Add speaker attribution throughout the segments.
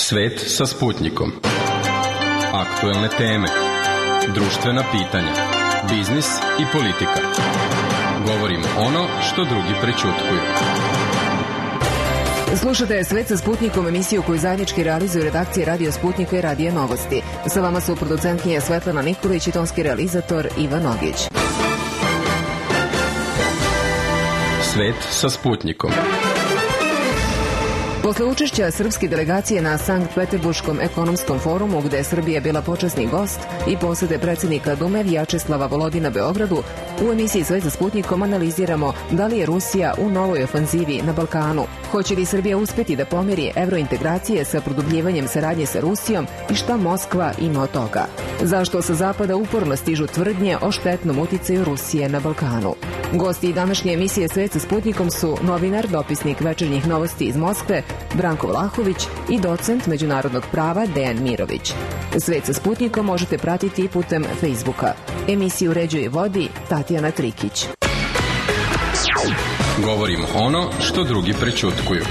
Speaker 1: Svet sa Sputnikom. Aktuelne teme, društvena pitanja, biznis i politika. Govorimo ono što drugi prećutkuju.
Speaker 2: Slušate Svet sa Sputnikom, emisiju koju zajednički realizuju redakcije Radio Sputnika i Radio Novosti. Sa vama su producentkinja Svetlana Nikolić i tonski realizator Ivan Ogić.
Speaker 1: Svet sa Sputnikom.
Speaker 2: Posle učešća srpske delegacije na Sankt Peterburškom ekonomskom forumu, gde je Srbija bila počasni gost, i posete predsjednika Dume Vjačeslava Volodina Beogradu, u emisiji Svet sa Sputnikom analiziramo da li je Rusija u novoj ofanzivi na Balkanu. Hoće li Srbija uspeti da pomeri evrointegracije sa produbljivanjem saradnje sa Rusijom i šta Moskva ima od toga? Zašto sa zapada uporno stižu tvrdnje o štetnom uticaju Rusije na Balkanu? Gosti današnje emisije Svet sa Sputnikom su novinar, dopisnik Večernjih novosti iz Moskve Branko Vlahović i docent međunarodnog prava Dejan Mirović. Svet sa Sputnikom možete pratiti i putem Facebooka. Emisiju uređuje i vodi Tatjana Trikić.
Speaker 1: Govorimo ono što drugi prećutkuju.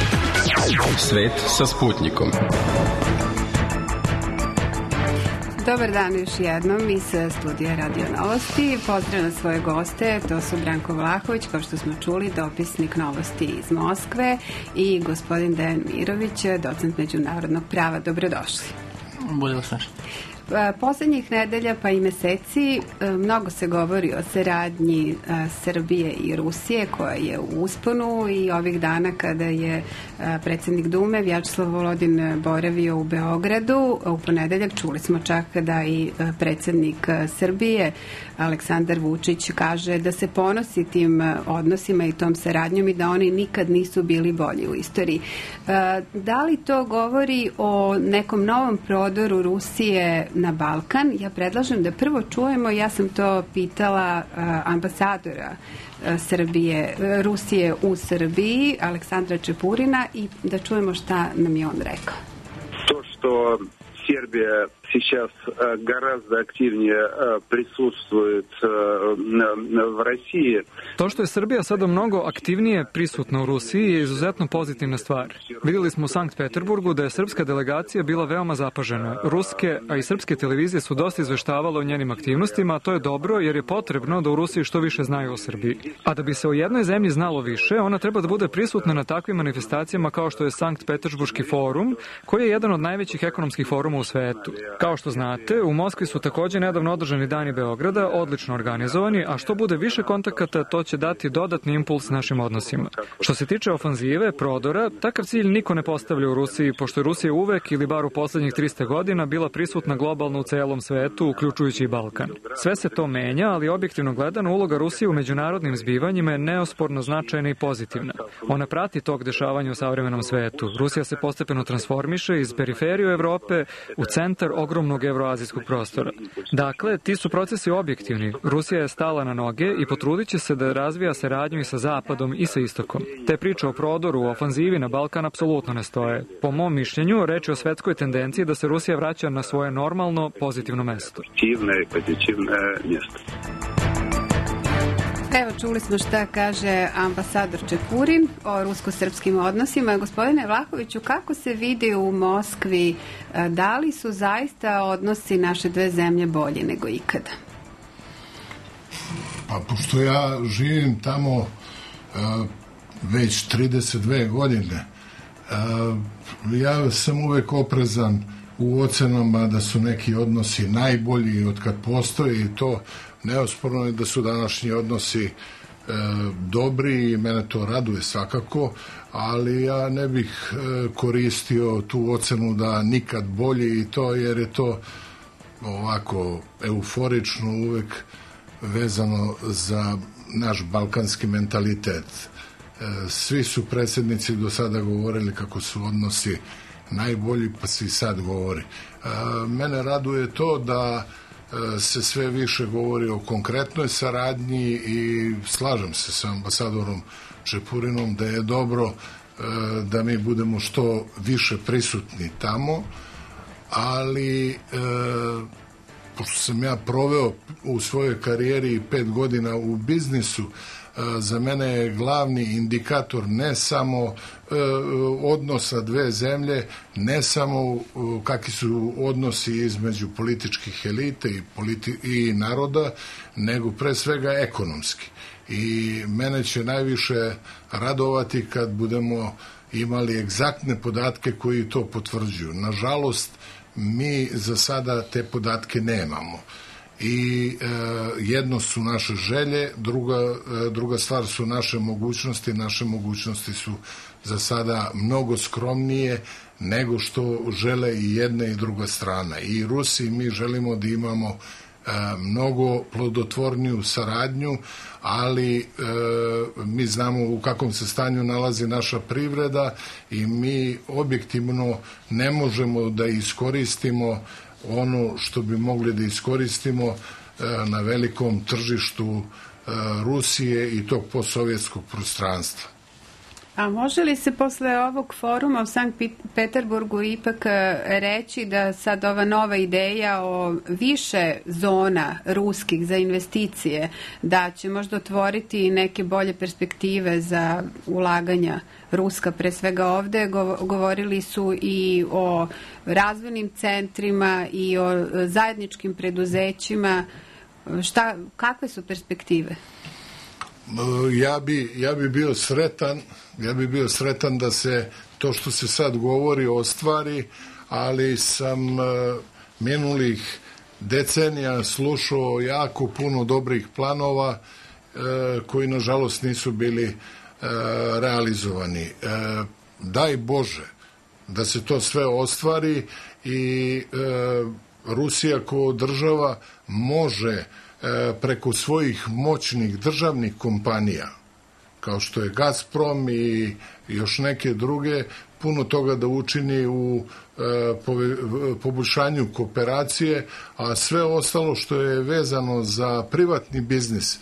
Speaker 1: Svet sa Sputnikom.
Speaker 3: Dobar dan još jednom iz studija Radio Novosti. Pozdravljam svoje goste, to su Branko Vlahović, kao što smo čuli, dopisnik novosti iz Moskve, i gospodin Dejan Mirović, docent međunarodnog prava. Dobrodošli.
Speaker 4: Bolje vas našli.
Speaker 3: Poslednjih nedelja pa i meseci mnogo se govori o saradnji Srbije i Rusije, koja je u usponu, i ovih dana kada je predsjednik Dume Vjačeslav Volodin boravio u Beogradu u ponedeljak, čuli smo čak da i predsjednik Srbije Aleksandar Vučić kaže da se ponosi tim odnosima i tom saradnjom i da oni nikad nisu bili bolji u istoriji. Da li to govori o nekom novom prodoru Rusije na Balkan? Ja predlažem da prvo čujemo, ja sam to pitala ambasadora Rusije u Srbiji, Aleksandra Čepurina, i da čujemo šta nam je on rekao.
Speaker 5: To što Сербия сейчас гораздо активнее присутствует в России.
Speaker 6: To što je Srbija sada mnogo aktivnije prisutna u Rusiji je izuzetno pozitivna stvar. Vidjeli smo u Sankt Peterburgu da je srpska delegacija bila veoma zapažena. Ruske, a i srpske televizije su dosta izveštavale o njenim aktivnostima, a to je dobro jer je potrebno da u Rusiji što više znaju o Srbiji. A da bi se o jednoj zemlji znalo više, ona treba da bude prisutna na takvim manifestacijama kao što je Sankt Peterburški forum, koji je jedan od najvećih ekonomskih foruma u svetu. Kao što znate, u Moskvi su također nedavno održani dani Beograda, odlično organizovani, a što bude više kontakata, to će dati dodatni impuls našim odnosima. Što se tiče ofanzive, prodora, takav cilj niko ne postavlja u Rusiji, pošto je Rusija uvek, ili bar u poslednjih 300 godina, bila prisutna globalno u celom svetu, uključujući i Balkan. Sve se to menja, ali objektivno gledano, uloga Rusije u međunarodnim zbivanjima je neosporno značajna i pozitivna. Ona prati tok dešavanja u savremenom svetu. Rusija se postepeno transformiše iz periferiju Evrope u centar ogromnog evroazijskog prostora. Dakle, ti su procesi objektivni. Rusija je stala na noge i potrudit će se da razvija saradnju i sa Zapadom i sa Istokom. Te priče o prodoru, o ofanzivi na Balkan apsolutno ne stoje. Po mom mišljenju, reč je o svetskoj tendenciji da se Rusija vraća na svoje normalno, pozitivno mesto.
Speaker 3: Evo, čuli smo šta kaže ambasador Čepurin o rusko-srpskim odnosima. Gospodine Vlahoviću, kako se vidi u Moskvi, da li su zaista odnosi naše dve zemlje bolji nego ikada?
Speaker 7: Pa, pošto ja živim tamo već 32 godine, ja sam uvek oprezan u ocenama da su neki odnosi najbolji od kad postoji, i to neosporno je da su današnji odnosi dobri i mene to raduje svakako, ali ja ne bih koristio tu ocenu da nikad bolji, i to jer je to ovako euforično uvek vezano za naš balkanski mentalitet. Svi su predsjednici do sada govorili kako su odnosi najbolji, pa se i sad govori. Mene raduje to da se sve više govori o konkretnoj saradnji i slažem se sa ambasadorom Čepurinom da je dobro da mi budemo što više prisutni tamo, ali pošto sam ja proveo u svojoj karijeri 5 godina u biznisu, za mene je glavni indikator ne samo odnosa dve zemlje, ne samo kakvi su odnosi između političkih elite i naroda, nego pre svega ekonomski. I mene će najviše radovati kad budemo imali egzaktne podatke koji to potvrđuju. Nažalost, mi za sada te podatke nemamo. I jedno su naše želje, druga stvar su naše mogućnosti. Naše mogućnosti su za sada mnogo skromnije nego što žele i jedna i druga strana. I Rusi i mi želimo da imamo mnogo plodotvorniju saradnju, ali mi znamo u kakvom se stanju nalazi naša privreda i mi objektivno ne možemo da iskoristimo ono što bi mogli da iskoristimo na velikom tržištu Rusije i tog postsovjetskog prostranstva.
Speaker 3: A može li se posle ovog foruma u Sankt Peterburgu ipak reći da sad ova nova ideja o više zona ruskih za investicije, da će možda otvoriti neke bolje perspektive za ulaganja ruska, pre svega ovde, govorili su i o razvojnim centrima i o zajedničkim preduzećima. Kakve su perspektive?
Speaker 7: Ja bi bio sretan da se to što se sad govori ostvari, ali sam minulih decenija slušao jako puno dobrih planova koji nažalost nisu bili realizovani. Daj Bože da se to sve ostvari i Rusija kao država može preko svojih moćnih državnih kompanija, kao što je Gazprom i još neke druge, puno toga da učini u poboljšanju kooperacije, a sve ostalo što je vezano za privatni biznis.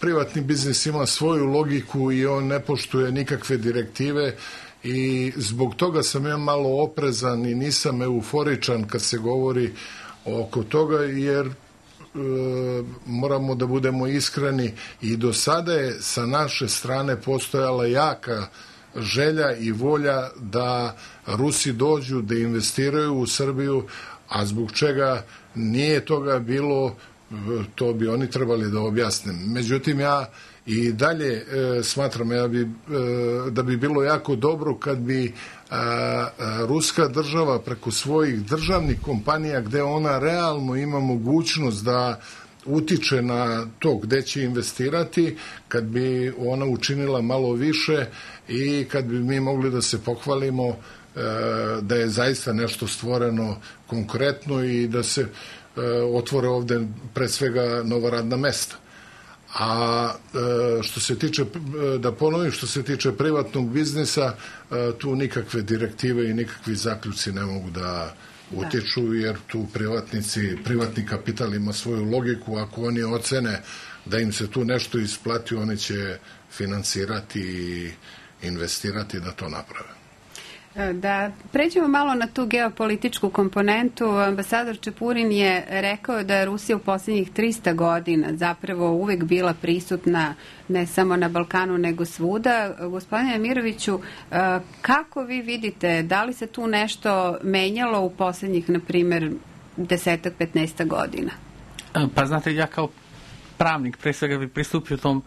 Speaker 7: Privatni biznis ima svoju logiku i on ne poštuje nikakve direktive i zbog toga sam ja malo oprezan i nisam euforičan kad se govori oko toga, jer moramo da budemo iskreni i do sada je sa naše strane postojala jaka želja i volja da Rusi dođu, da investiraju u Srbiju, a zbog čega nije toga bilo, to bi oni trebali da objasne. Međutim, ja i dalje smatram da bi bilo jako dobro kad bi ruska država preko svojih državnih kompanija, gde ona realno ima mogućnost da utiče na to gde će investirati, kad bi ona učinila malo više i kad bi mi mogli da se pohvalimo da je zaista nešto stvoreno konkretno i da se otvore ovde pre svega nova radna mesta. A što se tiče, da ponovim, što se tiče privatnog biznisa, tu nikakve direktive i nikakvi zaključci ne mogu da utiču, jer tu privatni kapital ima svoju logiku. Ako oni ocene da im se tu nešto isplati, oni će finansirati i investirati da to naprave.
Speaker 3: Da pređemo malo na tu geopolitičku komponentu. Ambasador Čepurin je rekao da je Rusija u posljednjih 300 godina zapravo uvek bila prisutna ne samo na Balkanu nego svuda. Gospodine Miroviću, kako vi vidite, da li se tu nešto menjalo u posljednjih, na primjer, 10-15 godina?
Speaker 4: Pa znate, ja kao pravnik pre svega bi pristupio tom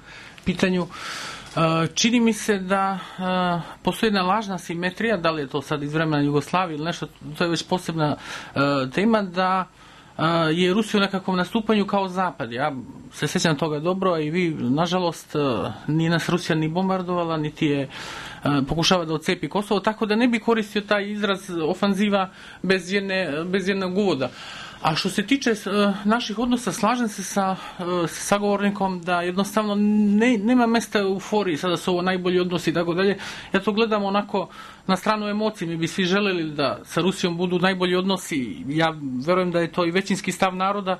Speaker 4: pitanju. Čini mi se da postoji jedna lažna simetrija, da li je to sad iz vremena Jugoslavije ili nešto, to je već posebna tema, da je Rusija u nekakvom nastupanju kao Zapad. Ja se sjećam toga dobro, a i vi, nažalost, nije nas Rusija ni bombardovala, niti je pokušava da odcepi Kosovo, tako da ne bi koristio taj izraz ofanziva bez jednog uvoda. A što se tiče naših odnosa, slažem se sa sagovornikom da jednostavno nema mesta euforiji, sada su ovo najbolji odnosi i tako dalje. Ja to gledam onako na stranu emocije. Mi bi svi želeli da sa Rusijom budu najbolji odnosi. Ja verujem da je to i većinski stav naroda,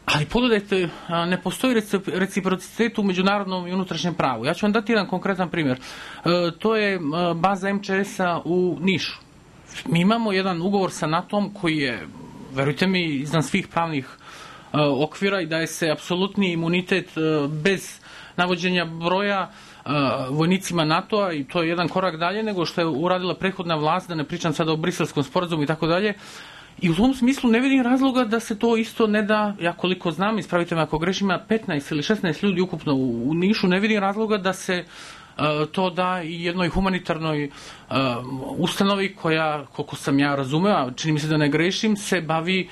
Speaker 4: ali pogledajte, ne postoji reciprocitet u međunarodnom i unutrašnjem pravu. Ja ću vam dati jedan konkretan primjer. To je baza MČS-a u Nišu. Mi imamo jedan ugovor sa NATO-om koji je, verujte mi, iznad svih pravnih okvira i daje se apsolutni imunitet bez navođenja broja vojnicima NATO-a, i to je jedan korak dalje nego što je uradila prethodna vlast, da ne pričam sada o Briselskom sporazumu i tako dalje. I u tom smislu ne vidim razloga da se to isto ne da, ja koliko znam, ispravite me ako grešim, ima 15 ili 16 ljudi ukupno u Nišu, ne vidim razloga da se to da i jednoj humanitarnoj ustanovi koja, koliko sam ja razumeo, čini mi se da ne grešim, se bavi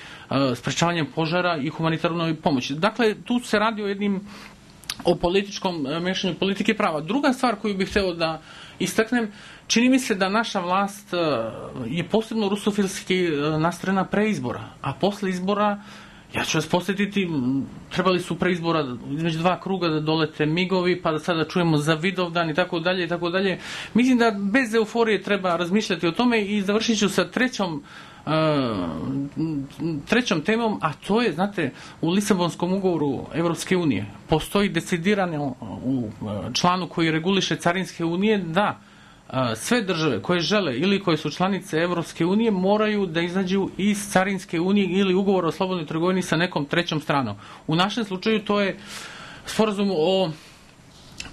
Speaker 4: sprečavanjem požara i humanitarnoj pomoći. Dakle, tu se radi o političkom mešanju politike prava. Druga stvar koju bih hteo da istaknem, čini mi se da naša vlast je posebno rusofilski nastrojena pre izbora, a posle izbora, ja ću vas posjetiti, trebali su pre izbora između 2 kruga da dolete migovi, pa da sada čujemo za Vidovdan i tako dalje i tako dalje. Mislim da bez euforije treba razmišljati o tome i završit ću sa trećom temom, a to je, znate, u Lisabonskom ugovoru Evropske unije postoji decidirano u članu koji reguliše carinske unije da sve države koje žele ili koje su članice Evropske unije moraju da izađu iz carinske unije ili ugovora o slobodnoj trgovini sa nekom trećom stranom. U našem slučaju to je sporazum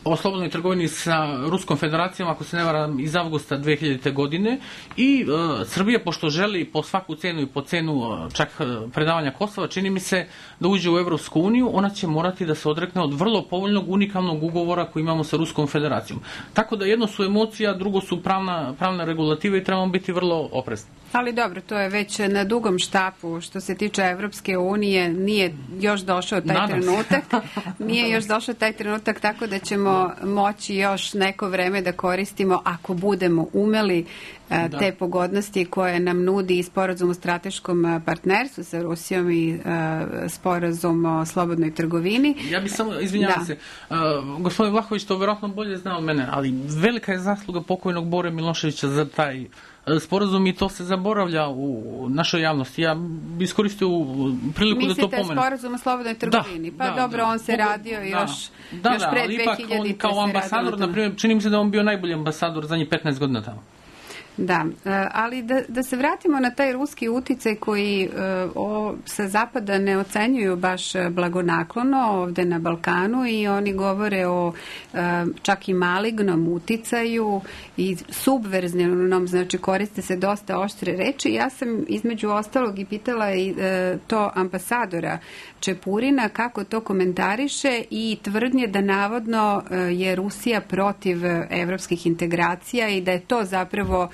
Speaker 4: o slobodnoj trgovini sa Ruskom federacijom, ako se ne varam, iz avgusta 2000. godine, i Srbija, pošto želi po svaku cenu i po cenu čak predavanja Kosova, čini mi se da uđe u Evropsku uniju, ona će morati da se odrekne od vrlo povoljnog unikalnog ugovora koji imamo sa Ruskom federacijom. Tako da jedno su emocija, drugo su pravna regulativa i trebamo biti vrlo oprezni.
Speaker 3: Ali dobro, to je već na dugom štapu. Što se tiče Evropske unije, nije još došao taj trenutak. Nije još došao taj trenutak, tako da ćemo moći još neko vreme da koristimo, ako budemo umeli, te pogodnosti koje nam nudi i sporazum o strateškom partnerstvu sa Rusijom i sporazum o slobodnoj trgovini.
Speaker 4: Ja bih samo, izvinjavam se, gospodin Vlahović to vjerojatno bolje zna od mene, ali velika je zasluga pokojnog Bore Miloševića za taj sporazum i to se zaboravlja u našoj javnosti. Ja bi iskoristio priliku da to pomenem.
Speaker 3: Mislite sporazum o slobodnoj trgovini? On se radio još pre 2000.
Speaker 4: On kao ambasador, na primjer, čini mi se da on bio najbolji ambasador zadnjih 15 godina tamo.
Speaker 3: Da, ali da se vratimo na taj ruski uticaj koji sa zapada ne ocenjuju baš blagonaklono ovde na Balkanu, i oni govore o čak i malignom uticaju i subverzivnom, znači koriste se dosta oštre reči. Ja sam između ostalog i pitala i to ambasadora Čepurina kako to komentariše i tvrdnje da navodno je Rusija protiv evropskih integracija i da je to zapravo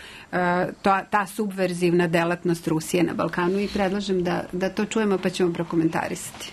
Speaker 3: ta subverzivna delatnost Rusije na Balkanu, i predlažem da to čujemo pa ćemo prokomentarisati.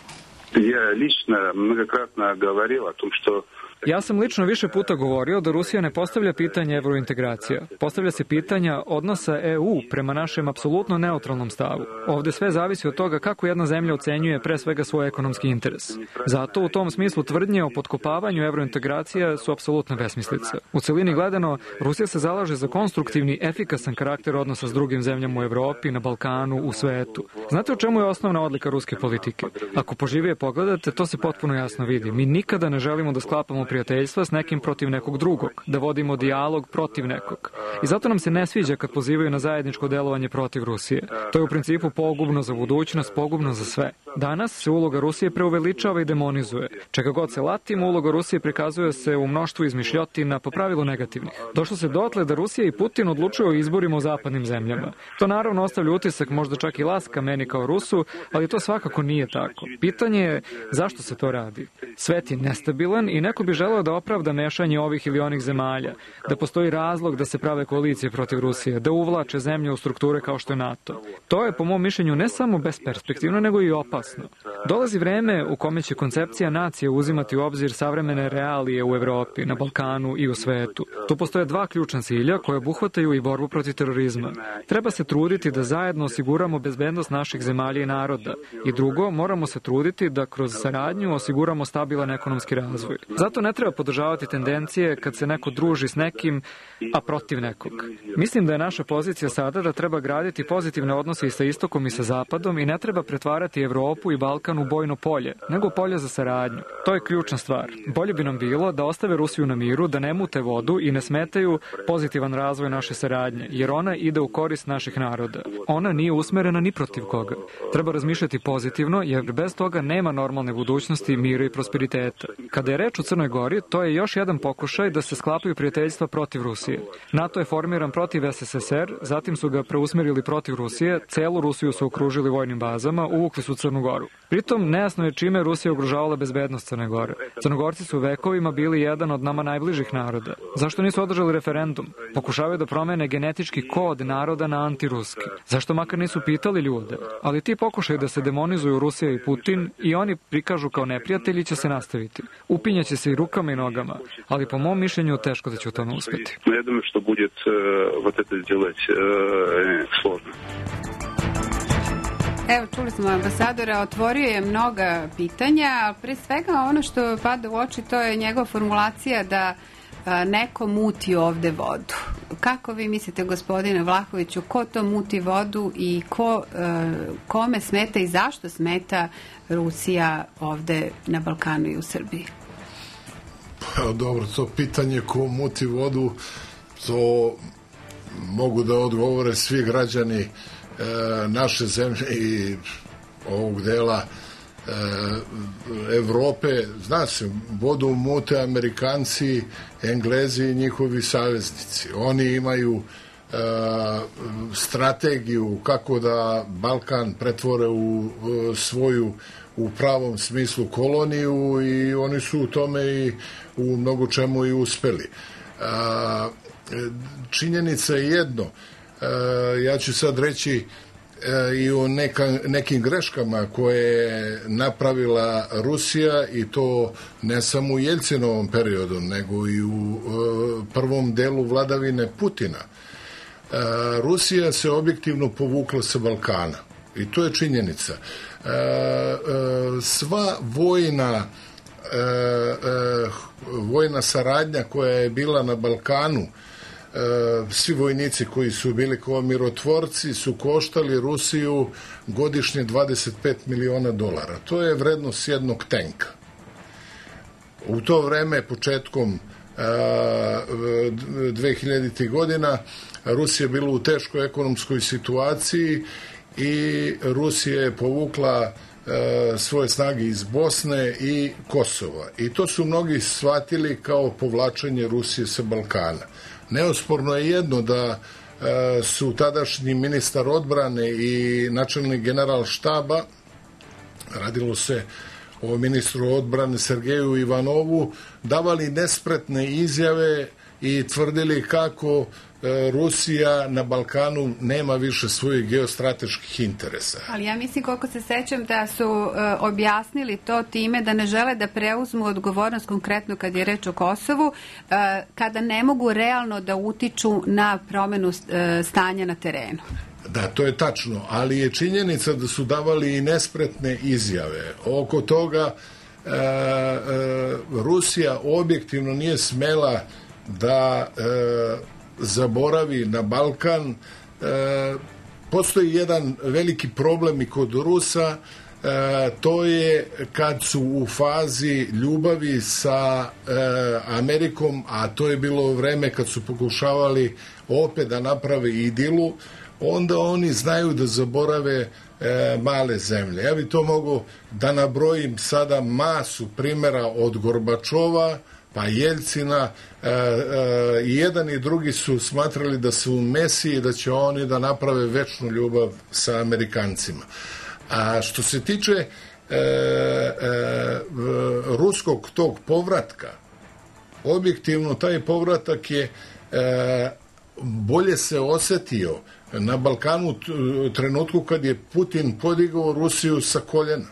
Speaker 5: Ja lično mnogokratno govorila o tom što
Speaker 6: Ja sam lično više puta govorio da Rusija ne postavlja pitanje evrointegracija. Postavlja se pitanja odnosa EU prema našem apsolutno neutralnom stavu. Ovde sve zavisi od toga kako jedna zemlja ocenjuje pre svega svoj ekonomski interes. Zato u tom smislu tvrdnje o potkopavanju evrointegracija su apsolutna besmislica. U celini gledano, Rusija se zalaže za konstruktivni, efikasan karakter odnosa s drugim zemljama u Evropi, na Balkanu, u svetu. Znate u čemu je osnovna odlika ruske politike? Ako poživije pogledate, to se potpuno jasno vidi. Mi nikada ne želimo da sklapamo prijateljstva s nekim protiv nekog drugog, da vodimo dijalog protiv nekog. I zato nam se ne sviđa kad pozivaju na zajedničko delovanje protiv Rusije. To je u principu pogubno za budućnost, pogubno za sve. Danas se uloga Rusije preuveličava i demonizuje. Čega god se latimo, uloga Rusije prikazuje se u mnoštvu izmišljotina, po pravilu negativnih. Došlo se dotle da Rusija i Putin odlučuju o izborima u zapadnim zemljama. To naravno ostavlja utisak, možda čak i laska meni kao Rusu, ali to svakako nije tako. Pitanje je zašto se to radi. Svet je nestabilan i neko bi želeo da opravda mešanje ovih ili onih zemalja, da postoji razlog da se prave koalicije protiv Rusije, da uvlače zemlje u strukture kao što je NATO. To je, po mom mišljenju, ne samo besperspektivno, nego i opasno. Dolazi vreme u kome će koncepcija nacije uzimati u obzir savremene realije u Evropi, na Balkanu i u svetu. Tu postoje dva ključna cilja koje obuhvataju i borbu protiv terorizma. Treba se truditi da zajedno osiguramo bezbednost naših zemalja i naroda. I drugo, moramo se truditi da kroz saradnju osiguramo stabilan ekonomski razvoj. Zato ne treba podržavati tendencije kad se neko druži s nekim, a protiv nekog. Mislim da je naša pozicija sada da treba graditi pozitivne odnose i sa istokom i sa zapadom i ne treba pretvarati Evropu Evropu i Balkan u bojno polje, nego polje za saradnju. To je ključna stvar. Bolje bi nam bilo da ostave Rusiju na miru, da ne mute vodu i ne smetaju pozitivan razvoj naše saradnje, jer ona ide u korist naših naroda. Ona nije usmerena ni protiv koga. Treba razmišljati pozitivno, jer bez toga nema normalne budućnosti, mira i prosperiteta. Kada je reč o Crnoj Gori, to je još jedan pokušaj da se sklapaju prijateljstva protiv Rusije. NATO je formiran protiv SSSR, zatim su ga preusmerili protiv Rusije, celu Rusiju su okružili vojnim bazama, uvukli su Crnu Goru. Pritom, nejasno je čime Rusija ugrožavala bezbednost Crne Gore. Crnogorci su vekovima bili jedan od nama najbližih naroda. Zašto nisu održali referendum? Pokušavaju da promene genetički kod naroda na antiruski. Zašto makar nisu pitali ljude? Ali ti pokušaj da se demonizuju Rusija i Putin i oni prikažu kao neprijatelji će se nastaviti. Upinjaće se i rukama i nogama, ali po mom mišljenju teško da će u tome uspeti.
Speaker 5: Ja думаю, što будет вот это сделать сложно.
Speaker 3: Evo, čuli smo ambasadora, otvorio je mnoga pitanja, a pre svega ono što pada u oči to je njegova formulacija da neko muti ovde vodu. Kako vi mislite, gospodine Vlahoviću, ko to muti vodu i kome smeta i zašto smeta Rusija ovde na Balkanu i u Srbiji?
Speaker 7: Pa, dobro, to pitanje ko muti vodu, to mogu da odgovore svi građani naše zemlje i ovog dela Evrope. Zna se, vodu mute Amerikanci, Englezi i njihovi saveznici. Oni imaju strategiju kako da Balkan pretvore u svoju u pravom smislu koloniju i oni su u tome i u mnogo čemu i uspeli. Činjenica je jedno, ja ću sad reći i o nekim greškama koje je napravila Rusija i to ne samo u Jeljcinovom periodu, nego i u prvom delu vladavine Putina. Rusija se objektivno povukla sa Balkana i to je činjenica. Sva vojna saradnja koja je bila na Balkanu, svi vojnici koji su bili kao mirotvorci su koštali Rusiju godišnje $25 miliona. To je vrednost jednog tenka. U to vreme, početkom 2000. godina, Rusija je bila u teškoj ekonomskoj situaciji i Rusija je povukla svoje snage iz Bosne i Kosova. I to su mnogi shvatili kao povlačenje Rusije sa Balkana. Neosporno je jedno da su tadašnji ministar odbrane i načelnik general štaba, radilo se o ministru odbrane Sergeju Ivanovu, davali nespretne izjave i tvrdili kako Rusija na Balkanu nema više svojih geostrateških interesa.
Speaker 3: Ali ja mislim, koliko se sećam, da su objasnili to time da ne žele da preuzmu odgovornost, konkretno kad je reč o Kosovu, kada ne mogu realno da utiču na promenu stanja na terenu.
Speaker 7: Da, to je tačno, ali je činjenica da su davali i nespretne izjave. Oko toga Rusija objektivno nije smela da zaboravi na Balkan. Postoji jedan veliki problem i kod Rusa, to je kad su u fazi ljubavi sa Amerikom, a to je bilo vreme kad su pokušavali opet da naprave idilu, onda oni znaju da zaborave male zemlje. Ja bi to mogu da nabrojim sada masu primjera od Gorbačova pa Jeljcina, i jedan i drugi su smatrali da su mesiji, da će oni da naprave večnu ljubav sa Amerikancima. A što se tiče ruskog tog povratka, objektivno taj povratak je bolje se osetio na Balkanu u trenutku kad je Putin podigao Rusiju sa koljena.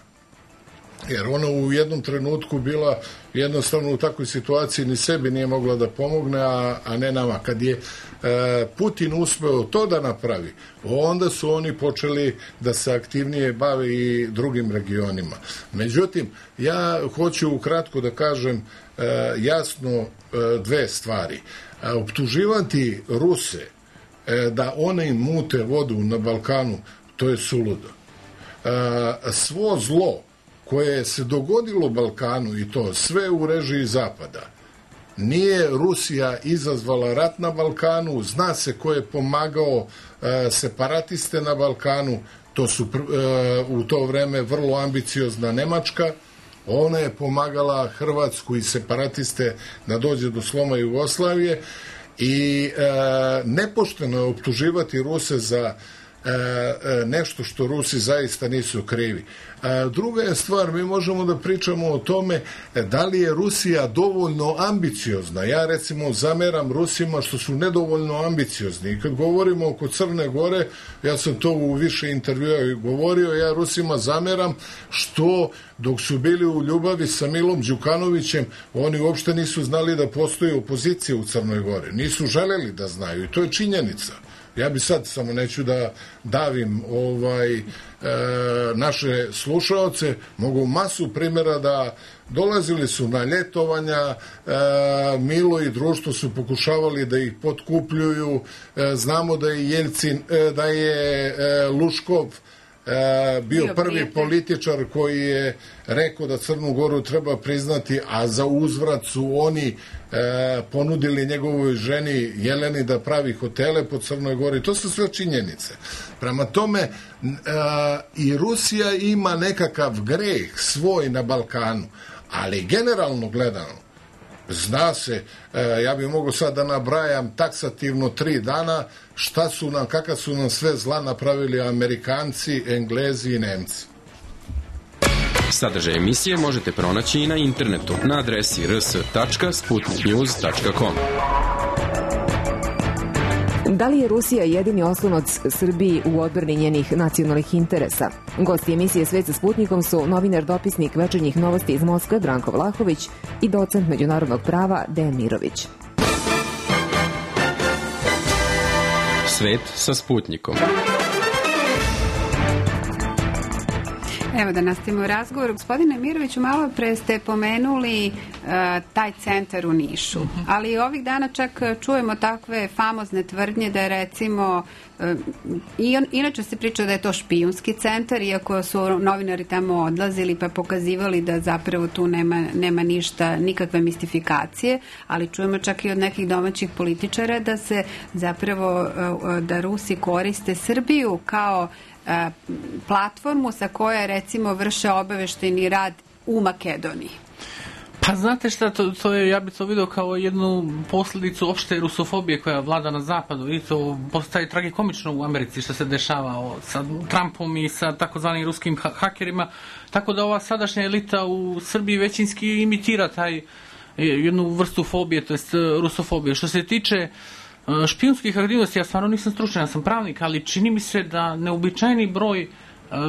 Speaker 7: Jer ona u jednom trenutku bila jednostavno u takvoj situaciji, ni sebi nije mogla da pomogne, a ne nama. Kad je Putin uspeo to da napravi, onda su oni počeli da se aktivnije bave i drugim regionima. Međutim, ja hoću ukratko da kažem jasno dve stvari. Optuživati Ruse da one im mute vodu na Balkanu, to je suludo. svo zlo koje se dogodilo u Balkanu i to sve u režiji Zapada. Nije Rusija izazvala rat na Balkanu, zna se ko je pomagao separatiste na Balkanu, to su u to vreme vrlo ambiciozna Nemačka, ona je pomagala Hrvatsku i separatiste da dođe do sloma Jugoslavije i nepošteno je optuživati Ruse za nešto što Rusi zaista nisu krivi. Druga je stvar, mi možemo da pričamo o tome da li je Rusija dovoljno ambiciozna. Ja recimo zameram Rusima što su nedovoljno ambiciozni. I kad govorimo oko Crne Gore, ja sam to u više intervjua govorio, ja Rusima zameram što dok su bili u ljubavi sa Milom Đukanovićem, oni uopšte nisu znali da postoji opozicija u Crnoj Gori. Nisu želeli da znaju i to je činjenica. Ja bi sad, samo neću da davim naše slušaoce, mogu masu primjera da dolazili su na ljetovanja, Milo i društvo su pokušavali da ih potkupljuju, znamo da je Jeljcin, da je Luškov bio prvi političar koji je rekao da Crnu Goru treba priznati, a za uzvrat su oni ponudili njegovoj ženi Jeleni da pravi hotele po Crnoj Gori. To su sve činjenice. Prema tome i Rusija ima nekakav greh svoj na Balkanu, ali generalno gledano zna se, ja bih mogao sad da nabrajam taksativno 3 dana šta su nam, kakav su nam sve zla napravili Amerikanci, Englezi i Nemci.
Speaker 1: Sadržaj emisije možete pronaći i na internetu na adresi rs.sputniknews.com.
Speaker 2: Da li je Rusija jedini oslonac Srbiji u odbrani njenih nacionalnih interesa? Gosti emisije Svet sa Sputnikom su novinar dopisnik Večernjih novosti iz Moskve Branko Vlahović i docent međunarodnog prava Dejan Mirović.
Speaker 1: Svet sa Sputnikom.
Speaker 3: Evo da nastavimo razgovor. Gospodine Miroviću, malo pre ste pomenuli taj centar u Nišu, ali ovih dana čak čujemo takve famozne tvrdnje da je recimo, inače se priča da je to špijunski centar, iako su novinari tamo odlazili pa pokazivali da zapravo tu nema ništa, nikakve mistifikacije, ali čujemo čak i od nekih domaćih političara da se zapravo, da Rusi koriste Srbiju kao platformu sa koje recimo vrše obaveštajni rad u Makedoniji.
Speaker 4: Pa znate šta, to je, ja bih to vidio kao jednu posljedicu opšte rusofobije koja vlada na zapadu i to postaje tragikomično u Americi što se dešava sa Trumpom i sa takozvanim ruskim hakerima, tako da ova sadašnja elita u Srbiji većinski imitira taj jednu vrstu fobije, to jest rusofobije. Što se tiče špijunskih aktivnosti, ja stvarno nisam stručan, ja sam pravnik, ali čini mi se da neobičajni broj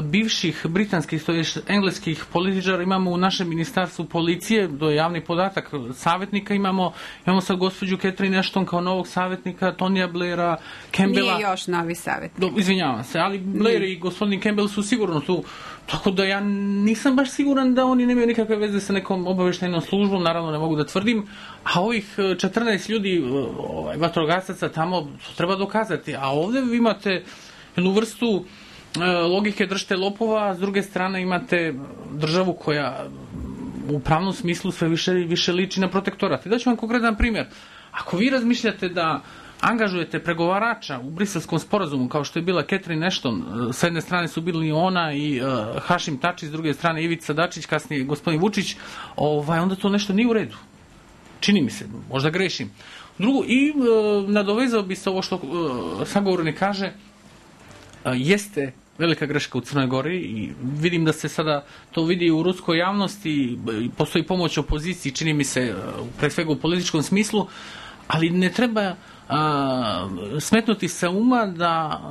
Speaker 4: bivših britanskih, to je engleskih političara imamo u našem ministarstvu policije, to je javni podatak, savjetnika imamo sad gospođu Catherine Ashton kao novog savjetnika, Tonija Blaira, Campbella.
Speaker 3: Nije još novi savjetnik.
Speaker 4: Izvinjavam se, ali Blair i gospodin Campbell su sigurno tu, tako da ja nisam baš siguran da oni nemaju nikakve veze sa nekom obaveštajnom službom, naravno ne mogu da tvrdim, a ovih 14 ljudi, vatrogasaca tamo, to treba dokazati, a ovdje vi imate jednu vrstu logike držite lopova, a s druge strane imate državu koja u pravnom smislu sve više liči na protektorat. I daću vam konkretan primjer. Ako vi razmišljate da angažujete pregovarača u Briselskom sporazumu, kao što je bila Catherine Ashton, s jedne strane su bili ona i Hašim Tači, s druge strane Ivica Dačić, kasnije gospodin Vučić, onda to nešto nije u redu. Čini mi se, možda grešim. Drugo, i nadovezao bi se ovo što sagovornik kaže, jeste velika greška u Crnoj Gori i vidim da se sada to vidi u ruskoj javnosti, postoji pomoć opoziciji, čini mi se, pre svega u političkom smislu, ali ne treba smetnuti sa uma da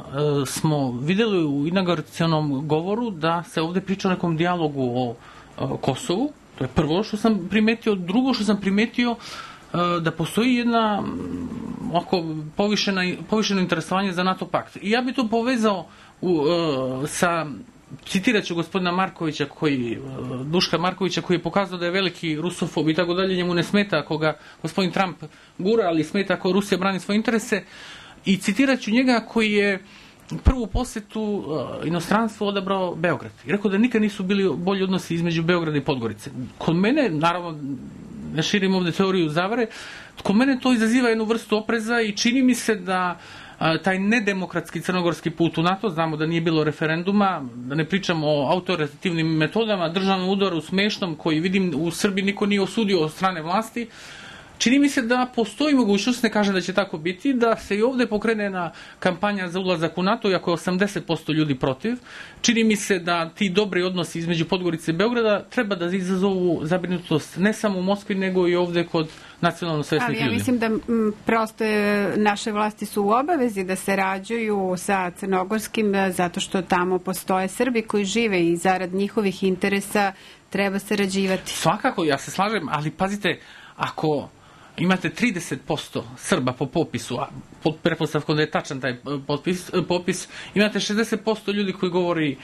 Speaker 4: smo vidjeli u inauguracionom govoru da se ovdje priča o nekom dijalogu o Kosovu. To je prvo što sam primetio. Drugo što sam primetio da postoji jedna povišeno interesovanje za NATO pakt. I ja bih to povezao sa, citirat ću gospodina Markovića, Duška Markovića, koji je pokazao da je veliki rusofob i tako dalje, njemu ne smeta ako ga gospodin Trump gura, ali smeta ako Rusija brani svoje interese. I citirat ću njega koji je prvu posetu inostranstvu odabrao Beograd. I rekao da nikad nisu bili bolji odnosi između Beograda i Podgorice. Kod mene, naravno, ne širim ovde teoriju zavare, kod mene to izaziva jednu vrstu opreza i čini mi se da taj nedemokratski crnogorski put u NATO, znamo da nije bilo referenduma, da ne pričamo o autoritativnim metodama, državnom udaru smešnom koji vidim u Srbiji niko nije osudio od strane vlasti. Čini mi se da postoji mogućnost, ne kažem da će tako biti, da se i ovde pokrene na kampanja za ulazak u NATO, iako je 80% ljudi protiv. Čini mi se da ti dobri odnosi između Podgorice i Beograda treba da izazovu zabrinutost ne samo u Moskvi, nego i ovde kod nacionalno svesnih ljudi.
Speaker 3: Ali ja mislim da prosto naše vlasti su u obavezi da sarađuju sa crnogorskim, zato što tamo postoje Srbi koji žive i zarad njihovih interesa treba sarađivati.
Speaker 4: Svakako, ja se slažem, ali pazite, ako imate 30% Srba po popisu, a pod pretpostavkom da je tačan taj popis, imate 60% ljudi koji govori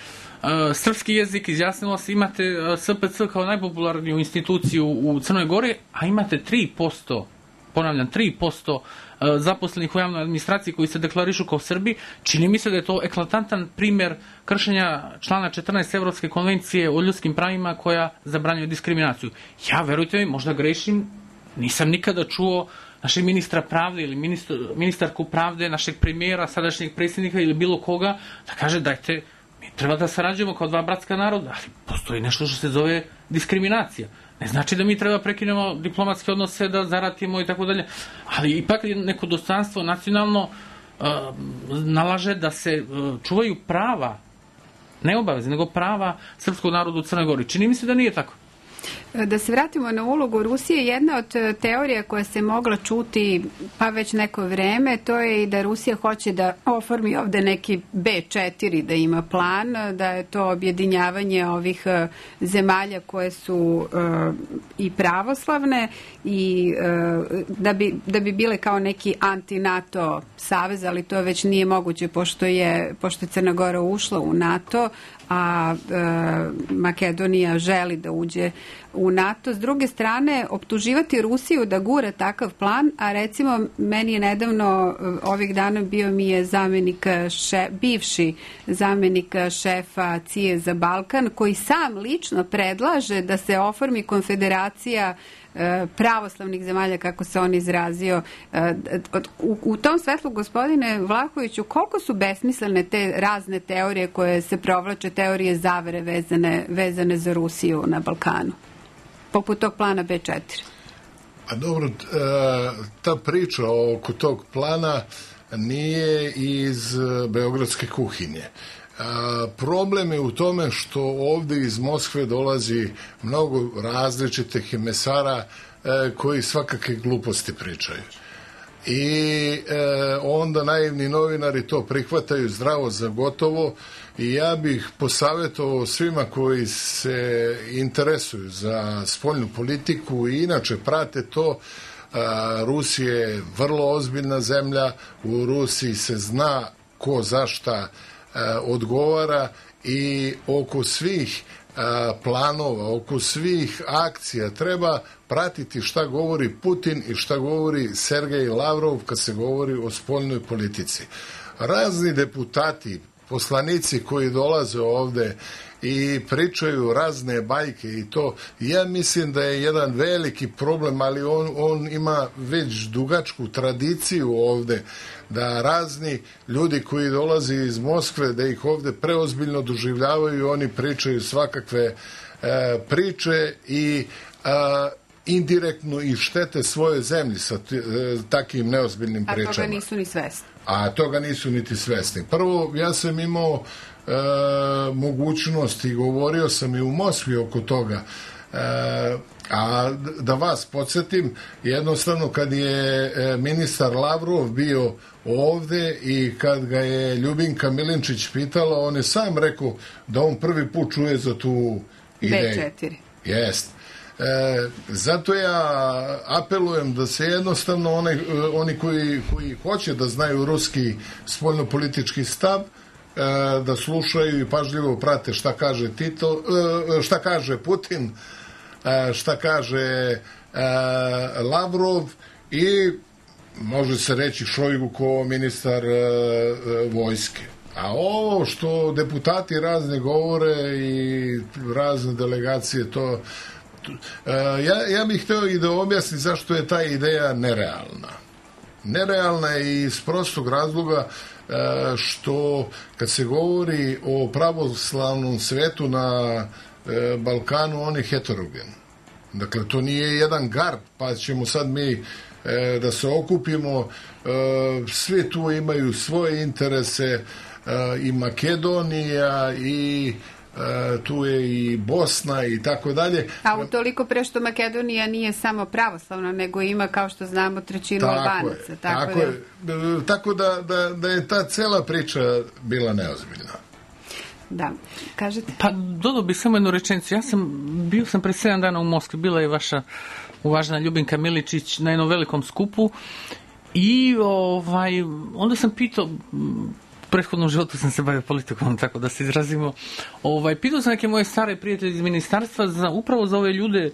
Speaker 4: srpski jezik, izjasnilo se, imate SPC kao najpopularniju instituciju u Crnoj Gori, a imate 3%, ponavljam, 3% zaposlenih u javnoj administraciji koji se deklarišu kao Srbi. Čini mi se da je to eklatantan primer kršenja člana 14 Evropske konvencije o ljudskim pravima koja zabranjuje diskriminaciju. Ja, verujte mi, možda grešim, nisam nikada čuo našeg ministra pravde ili ministarku pravde, našeg premijera, sadašnjeg predsjednika ili bilo koga da kaže dajte, mi treba da sarađujemo kao dva bratska naroda, ali postoji nešto što se zove diskriminacija. Ne znači da mi treba prekinemo diplomatske odnose, da zaratimo i tako dalje, ali ipak neko dostojanstvo nacionalno nalaže da se čuvaju prava, ne obaveze, nego prava srpskog naroda u Crnoj Gori. Čini mi se da nije tako.
Speaker 3: Da se vratimo na ulogu Rusije, jedna od teorija koja se mogla čuti pa već neko vreme, to je i da Rusija hoće da oformi ovde neki B4, da ima plan, da je to objedinjavanje ovih zemalja koje su i pravoslavne i da bi bile kao neki anti-NATO savez, ali to već nije moguće pošto je Crna Gora ušla u NATO, a Makedonija želi da uđe u NATO. S druge strane, optuživati Rusiju da gura takav plan, a recimo meni je nedavno ovih dana bio mi je bivši zamenik šefa CIA za Balkan, koji sam lično predlaže da se oformi konfederacija pravoslavnih zemalja, kako se on izrazio. U tom svetlu, gospodine Vlahoviću, koliko su besmislene te razne teorije koje se provlače, teorije zavere vezane za Rusiju na Balkanu, poput tog plana B4?
Speaker 7: A dobro, ta priča oko tog plana nije iz beogradske kuhinje. Problem je u tome što ovde iz Moskve dolazi mnogo različitih mesara koji svakakve gluposti pričaju. I onda naivni novinari to prihvataju zdravo za gotovo i ja bih posavjetovao svima koji se interesuju za spoljnu politiku i inače prate to. Rusija je vrlo ozbiljna zemlja, u Rusiji se zna ko za šta odgovara i oko svih planova, oko svih akcija treba pratiti šta govori Putin i šta govori Sergej Lavrov kad se govori o spoljnoj politici. Razni deputati, poslanici koji dolaze ovde i pričaju razne bajke i to, ja mislim da je jedan veliki problem, ali on ima već dugačku tradiciju ovde, da razni ljudi koji dolaze iz Moskve, da ih ovde preozbiljno doživljavaju, oni pričaju svakakve priče i indirektno i štete svoje zemlji sa takim neozbiljnim pričama.
Speaker 3: A toga nisu ni svesni.
Speaker 7: A toga nisu niti svesni. Prvo, ja sam imao mogućnost i govorio sam i u Moskvi oko toga, a da vas podsjetim, jednostavno kad je ministar Lavrov bio ovde i kad ga je Ljubinka Milinčić pitala, on je sam rekao da on prvi put čuje za tu ideju.
Speaker 3: B4.
Speaker 7: Jest. Zato ja apelujem da se jednostavno oni koji hoće da znaju ruski spoljnopolitički stav, da slušaju i pažljivo prate šta kaže šta kaže Putin, šta kaže Lavrov i može se reći Šojgu kao ministar vojske. A ovo što deputati razne govore i razne delegacije, to ja bih hteo i da objasnim zašto je ta ideja nerealna. Nerealna je iz prostog razloga što kad se govori o pravoslavnom svetu na Balkanu, on je heterogen. Dakle, to nije jedan gard, pa ćemo sad mi da se okupimo. Svi tu imaju svoje interese, i Makedonija, i tu je i Bosna i tako dalje.
Speaker 3: A utoliko pre što Makedonija nije samo pravoslavna, nego ima, kao što znamo, trećinu Albanaca.
Speaker 7: Tako da je ta cela priča bila neozbiljna.
Speaker 3: Da, kažete?
Speaker 4: Pa dodao bih samo jednu rečenicu. Bio sam pre 7 dana u Moskvi, bila je vaša uvažena Ljubinka Miličić na jednom velikom skupu i onda sam pitao, u prethodnom životu sam se bavio politikom, tako da se izrazimo, pitao sam neke moje stare prijatelje iz ministarstva upravo za ove ljude,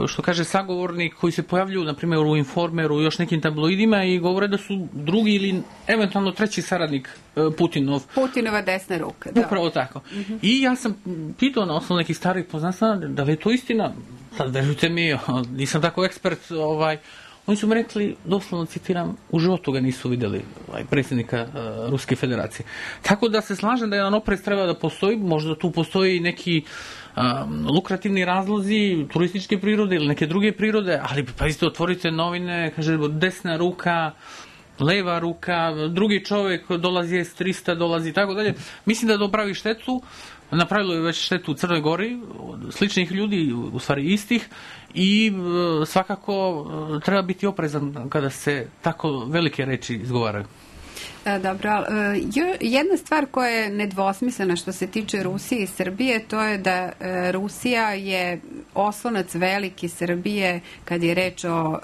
Speaker 4: što kaže sagovornik, koji se pojavljuju, na primjer, u Informeru i još nekim tabloidima i govore da su drugi ili eventualno treći saradnik Putinov.
Speaker 3: Putinova desna ruka. Da.
Speaker 4: Upravo tako. I ja sam pitao na osnovu nekih starih poznanstva da li je to istina. Sad, verujte mi, nisam tako ekspert. Oni su mi rekli, doslovno citiram, u životu ga nisu vidjeli, predsjednika Ruske federacije. Tako da se slažem da jedan oprez treba da postoji, možda tu postoji neki lukrativni razlozi turističke prirode ili neke druge prirode, ali pa isto otvorite novine, kaže desna ruka, leva ruka, drugi čovjek dolazi S-300, dolazi i tako dalje. Mislim da dopravi štetu, napravilo je već štetu u Crnoj Gori, sličnih ljudi, u stvari istih, i svakako treba biti oprezan kada se tako velike reči izgovaraju.
Speaker 3: Dobro, jedna stvar koja je nedvosmislena što se tiče Rusije i Srbije, to je da Rusija je oslonac veliki Srbije kad je reč o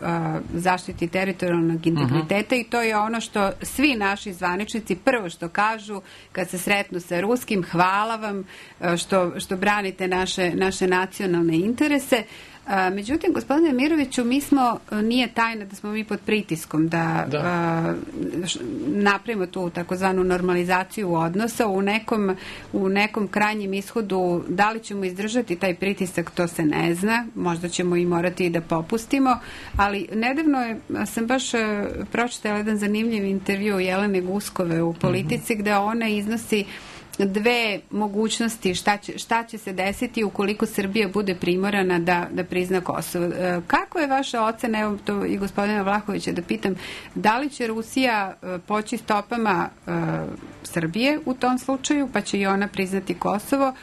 Speaker 3: zaštiti teritorijalnog integriteta i to je ono što svi naši zvaničnici prvo što kažu kad se sretnu sa ruskim, hvala vam što branite naše nacionalne interese. Međutim, gospodine Miroviću, nije tajna da smo mi pod pritiskom da napravimo tu takozvanu normalizaciju odnosa. U nekom krajnjem ishodu, da li ćemo izdržati taj pritisak, to se ne zna. Možda ćemo i morati da popustimo. Ali nedavno sam baš pročitala jedan zanimljiv intervju Jelene Guskove u Politici, gde ona iznosi dve mogućnosti šta će se desiti ukoliko Srbija bude primorana da prizna Kosovo. Kako je vaša ocena, evo to i gospodina Vlahovića da pitam, da li će Rusija poći stopama Srbije u tom slučaju, pa će i ona priznati Kosovo,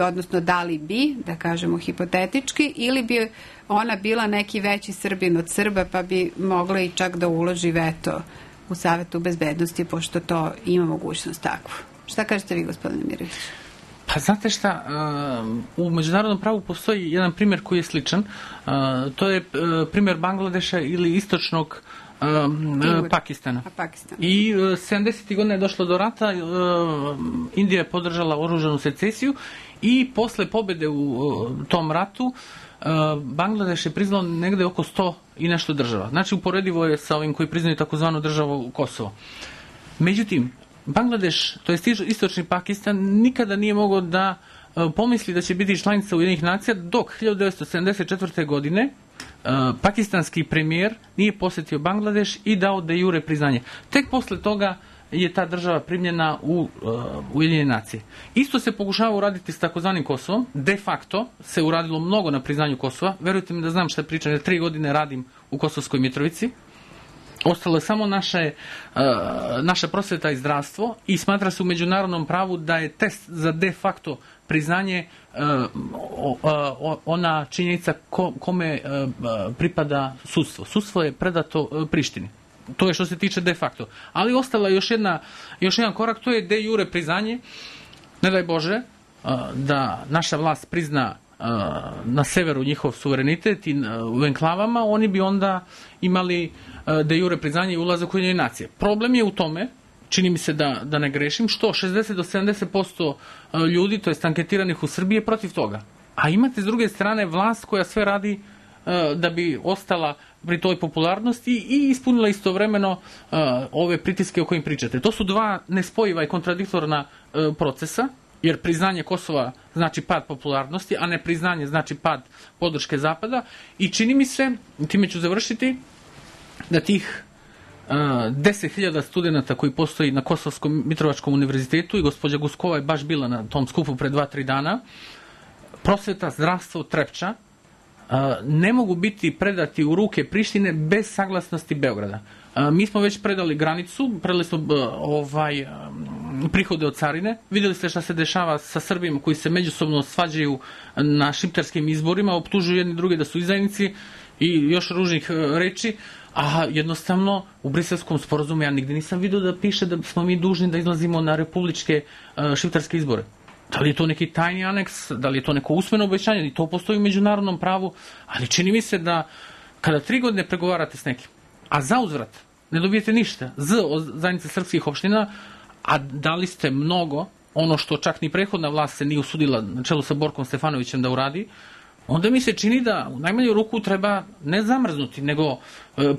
Speaker 3: odnosno da li bi, da kažemo hipotetički, ili bi ona bila neki veći Srbin od Srba, pa bi mogla i čak da uloži veto u Savetu bezbednosti, pošto to ima mogućnost takvu. Šta kažete vi, gospodine Mirović?
Speaker 4: Pa znate šta, u međunarodnom pravu postoji jedan primjer koji je sličan. To je primjer Bangladeša ili istočnog Pakistana. I 70. godina je došlo do rata, Indija je podržala oružanu secesiju i posle pobjede u tom ratu Bangladeš je priznao negde oko 100 i nešto država. Znači uporedivo je sa ovim koji priznaju takozvanu državu Kosovo. Međutim, Bangladeš, to je istočni Pakistan, nikada nije mogao da pomisli da će biti članica Ujedinjenih nacija dok 1974. godine pakistanski premijer nije posjetio Bangladeš i dao de jure priznanje. Tek posle toga je ta država primljena u Ujedinjene nacije. Isto se pokušava uraditi s takozvanim Kosovom. De facto se uradilo mnogo na priznanju Kosova. Verujte mi da znam šta pričam, jer 3 godine radim u Kosovskoj Mitrovici. Ostalo je samo naša prosveta i zdravstvo i smatra se u međunarodnom pravu da je test za de facto priznanje ona činjenica kome pripada sudstvo. Sudstvo je predato Prištini. To je što se tiče de facto. Ali ostala je još jedan korak, to je de jure priznanje. Ne daj Bože da naša vlast prizna na severu njihov suverenitet i u enklavama, oni bi onda imali de jure priznanje i ulazak u Ujedinjene nacije. Problem je u tome, čini mi se da ne grešim, što 60 do 70% ljudi, to jest anketiranih u Srbiji, je protiv toga. A imate s druge strane vlast koja sve radi da bi ostala pri toj popularnosti i ispunila istovremeno ove pritiske o kojim pričate. To su dva nespojiva i kontradiktorna procesa, jer priznanje Kosova znači pad popularnosti, a ne priznanje znači pad podrške Zapada i čini mi se, time ću završiti, da tih 10.000 studenta koji postoji na Kosovskom Mitrovačkom univerzitetu i gospođa Guskova je baš bila na tom skupu pre 2-3 dana, prosveta, zdravstvo, Trepča, ne mogu biti predati u ruke Prištine bez saglasnosti Beograda. Mi smo već predali granicu, predali smo prihode od carine, videli ste šta se dešava sa Srbima koji se međusobno svađaju na šiptarskim izborima, optužuju jedni druge da su izdajnici i još ružnih reči, a jednostavno u Briselskom sporazumu ja nigde nisam vidio da piše da smo mi dužni da izlazimo na republičke šiptarske izbore. Da li je to neki tajni aneks, da li je to neko usmeno obećanje, i to postoji u međunarodnom pravu, ali čini mi se da kada 3 godine pregovarate s nekim, a za uzvrat ne dobijete ništa od zajednice srpskih opština, a dali ste mnogo, ono što čak ni prethodna vlast se nije usudila na čelu sa Borkom Stefanovićem da uradi, onda mi se čini da u najmanju ruku treba ne zamrznuti, nego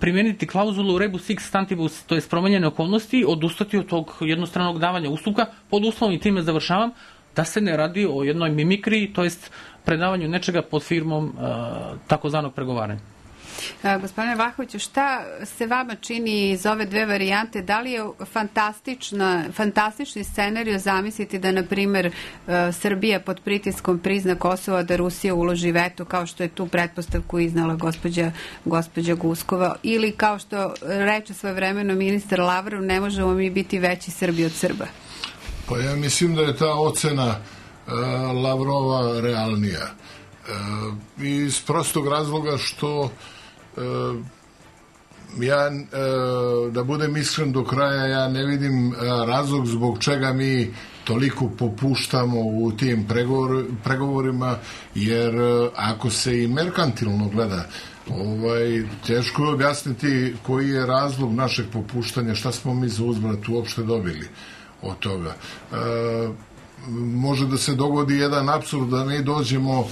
Speaker 4: primijeniti klauzulu rebus sic stantibus, to je promenjene okolnosti, odustati od tog jednostranog davanja ustupka, pod uslovom i time završavam, da se ne radi o jednoj mimikriji, to jest predavanju nečega pod firmom takozvanog pregovaranja.
Speaker 3: Gospodine Vlahoviću, šta se vama čini iz ove dve varijante? Da li je fantastični scenario zamisliti da, na primer, Srbija pod pritiskom prizna Kosovo, da Rusija uloži veto, kao što je tu pretpostavku iznala gospođa Guskova, ili kao što reče svojevremeno ministar Lavrov, ne možemo mi biti veći Srbi od Srba?
Speaker 7: Pa ja mislim da je ta ocena Lavrova realnija. Iz prostog razloga što ja, da budem iskren do kraja, ja ne vidim razlog zbog čega mi toliko popuštamo u tim pregovorima, jer ako se i merkantilno gleda, teško je objasniti koji je razlog našeg popuštanja, šta smo mi za uzvrat uopšte dobili od toga. Može da se dogodi jedan apsurd da mi dođemo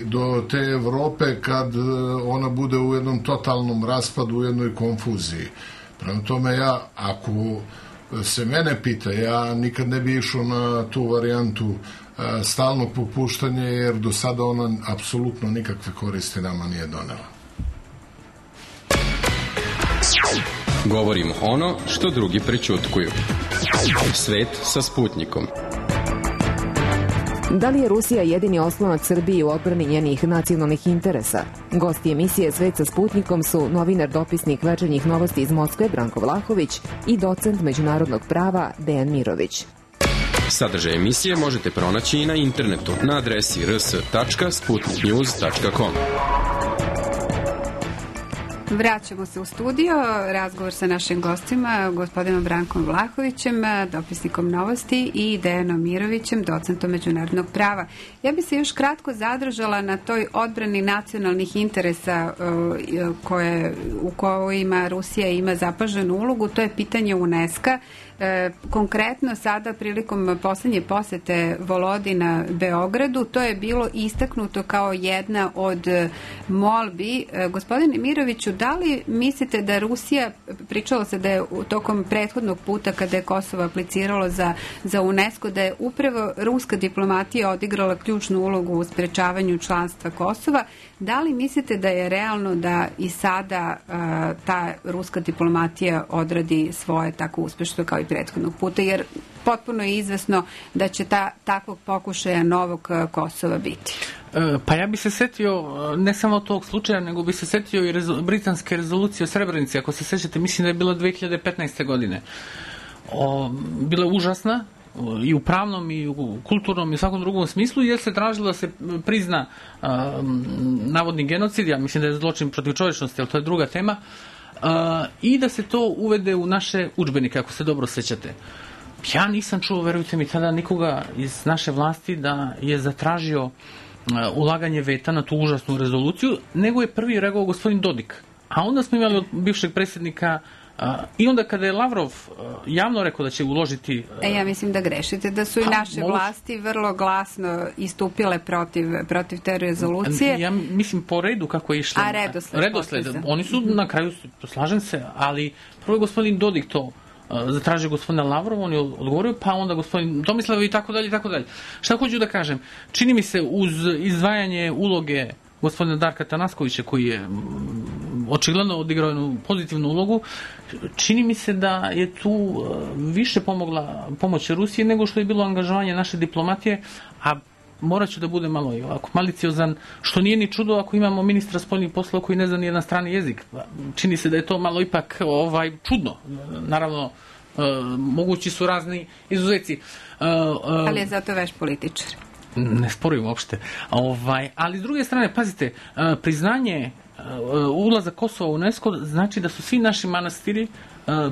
Speaker 7: do te Evrope kad ona bude u jednom totalnom raspadu, u jednoj konfuziji. Prema tome, ja, ako se mene pita, ja nikad ne bi išao na tu varijantu stalnog popuštanja, jer do sada ona apsolutno nikakve koristi nama nije donela.
Speaker 1: Govorimo ono što drugi prećutkuju. Svet sa Sputnikom.
Speaker 2: Da li je Rusija jedini oslonac Srbiji u odbrani njenih nacionalnih interesa? Gosti emisije Svet sa Sputnikom su novinar, dopisnik Večernjih novosti iz Moskve Branko Vlahović i docent međunarodnog prava Dejan Mirović.
Speaker 1: Sadržaj emisije možete pronaći i na internetu na adresi rs.sputniknews.com.
Speaker 3: Vraćamo se u studio, razgovor sa našim gostima, gospodinom Brankom Vlahovićem, dopisnikom novosti, i Dejanom Mirovićem, docentom međunarodnog prava. Ja bi se još kratko zadržala na toj odbrani nacionalnih interesa u kojima Rusija ima zapaženu ulogu, to je pitanje UNESCO-a. Konkretno sada prilikom poslednje posete Volodina Beogradu, to je bilo istaknuto kao jedna od molbi. Gospodine Miroviću, da li mislite da Rusija, pričalo se da je tokom prethodnog puta kada je Kosovo apliciralo za UNESCO, da je upravo ruska diplomatija odigrala ključnu ulogu u sprečavanju članstva Kosova, da li mislite da je realno da i sada ta ruska diplomatija odradi svoje tako uspešno kao i prethodnog puta, jer potpuno je izvesno da će takvog pokušaja novog Kosova biti?
Speaker 4: Pa ja bi se setio ne samo tog slučaja, nego bi se setio i britanske rezolucije o Srebrenici, ako se sećate, mislim da je bila 2015. godine. Bila je užasna i u pravnom i u kulturnom i u svakom drugom smislu, jer se tražilo da se prizna navodni genocid, ja mislim da je zločin protiv čovečnosti, ali to je druga tema, i da se to uvede u naše udžbenike, ako se dobro sećate. Ja nisam čuo, verujte mi, tada nikoga iz naše vlasti da je zatražio ulaganje veta na tu užasnu rezoluciju, nego je prvi reagovao gospodin Dodik. A onda smo imali od bivšeg predsjednika I onda kada je Lavrov javno rekao da će uložiti...
Speaker 3: Ja mislim da grešite, da su i naše vlasti vrlo glasno istupile protiv te rezolucije.
Speaker 4: Ja mislim po redu kako je išlo. Redosled. Oni su na kraju, slažem se, ali prvo je gospodin Dodik to zatražio gospodina Lavrova, on je odgovorio, pa onda gospodin Tomislav i tako dalje i tako dalje. Šta hoću da kažem? Čini mi se uz izdvajanje uloge gospodina Darka Tanaskovića, koji je očigledno odigrao jednu pozitivnu ulogu, čini mi se da je tu više pomogla pomoć Rusije nego što je bilo angažovanje naše diplomatije, a morat ću da bude malo i ovako maliciozan, što nije ni čudo ako imamo ministra spoljnih poslova koji ne zna ni jedan strani jezik. Čini se da je to malo ipak čudno. Naravno, mogući su razni izuzeci.
Speaker 3: Ali je zato veš političar.
Speaker 4: Ne sporujem uopšte. Ali s druge strane, pazite, priznanje ulazak Kosova u UNESCO znači da su svi naši manastiri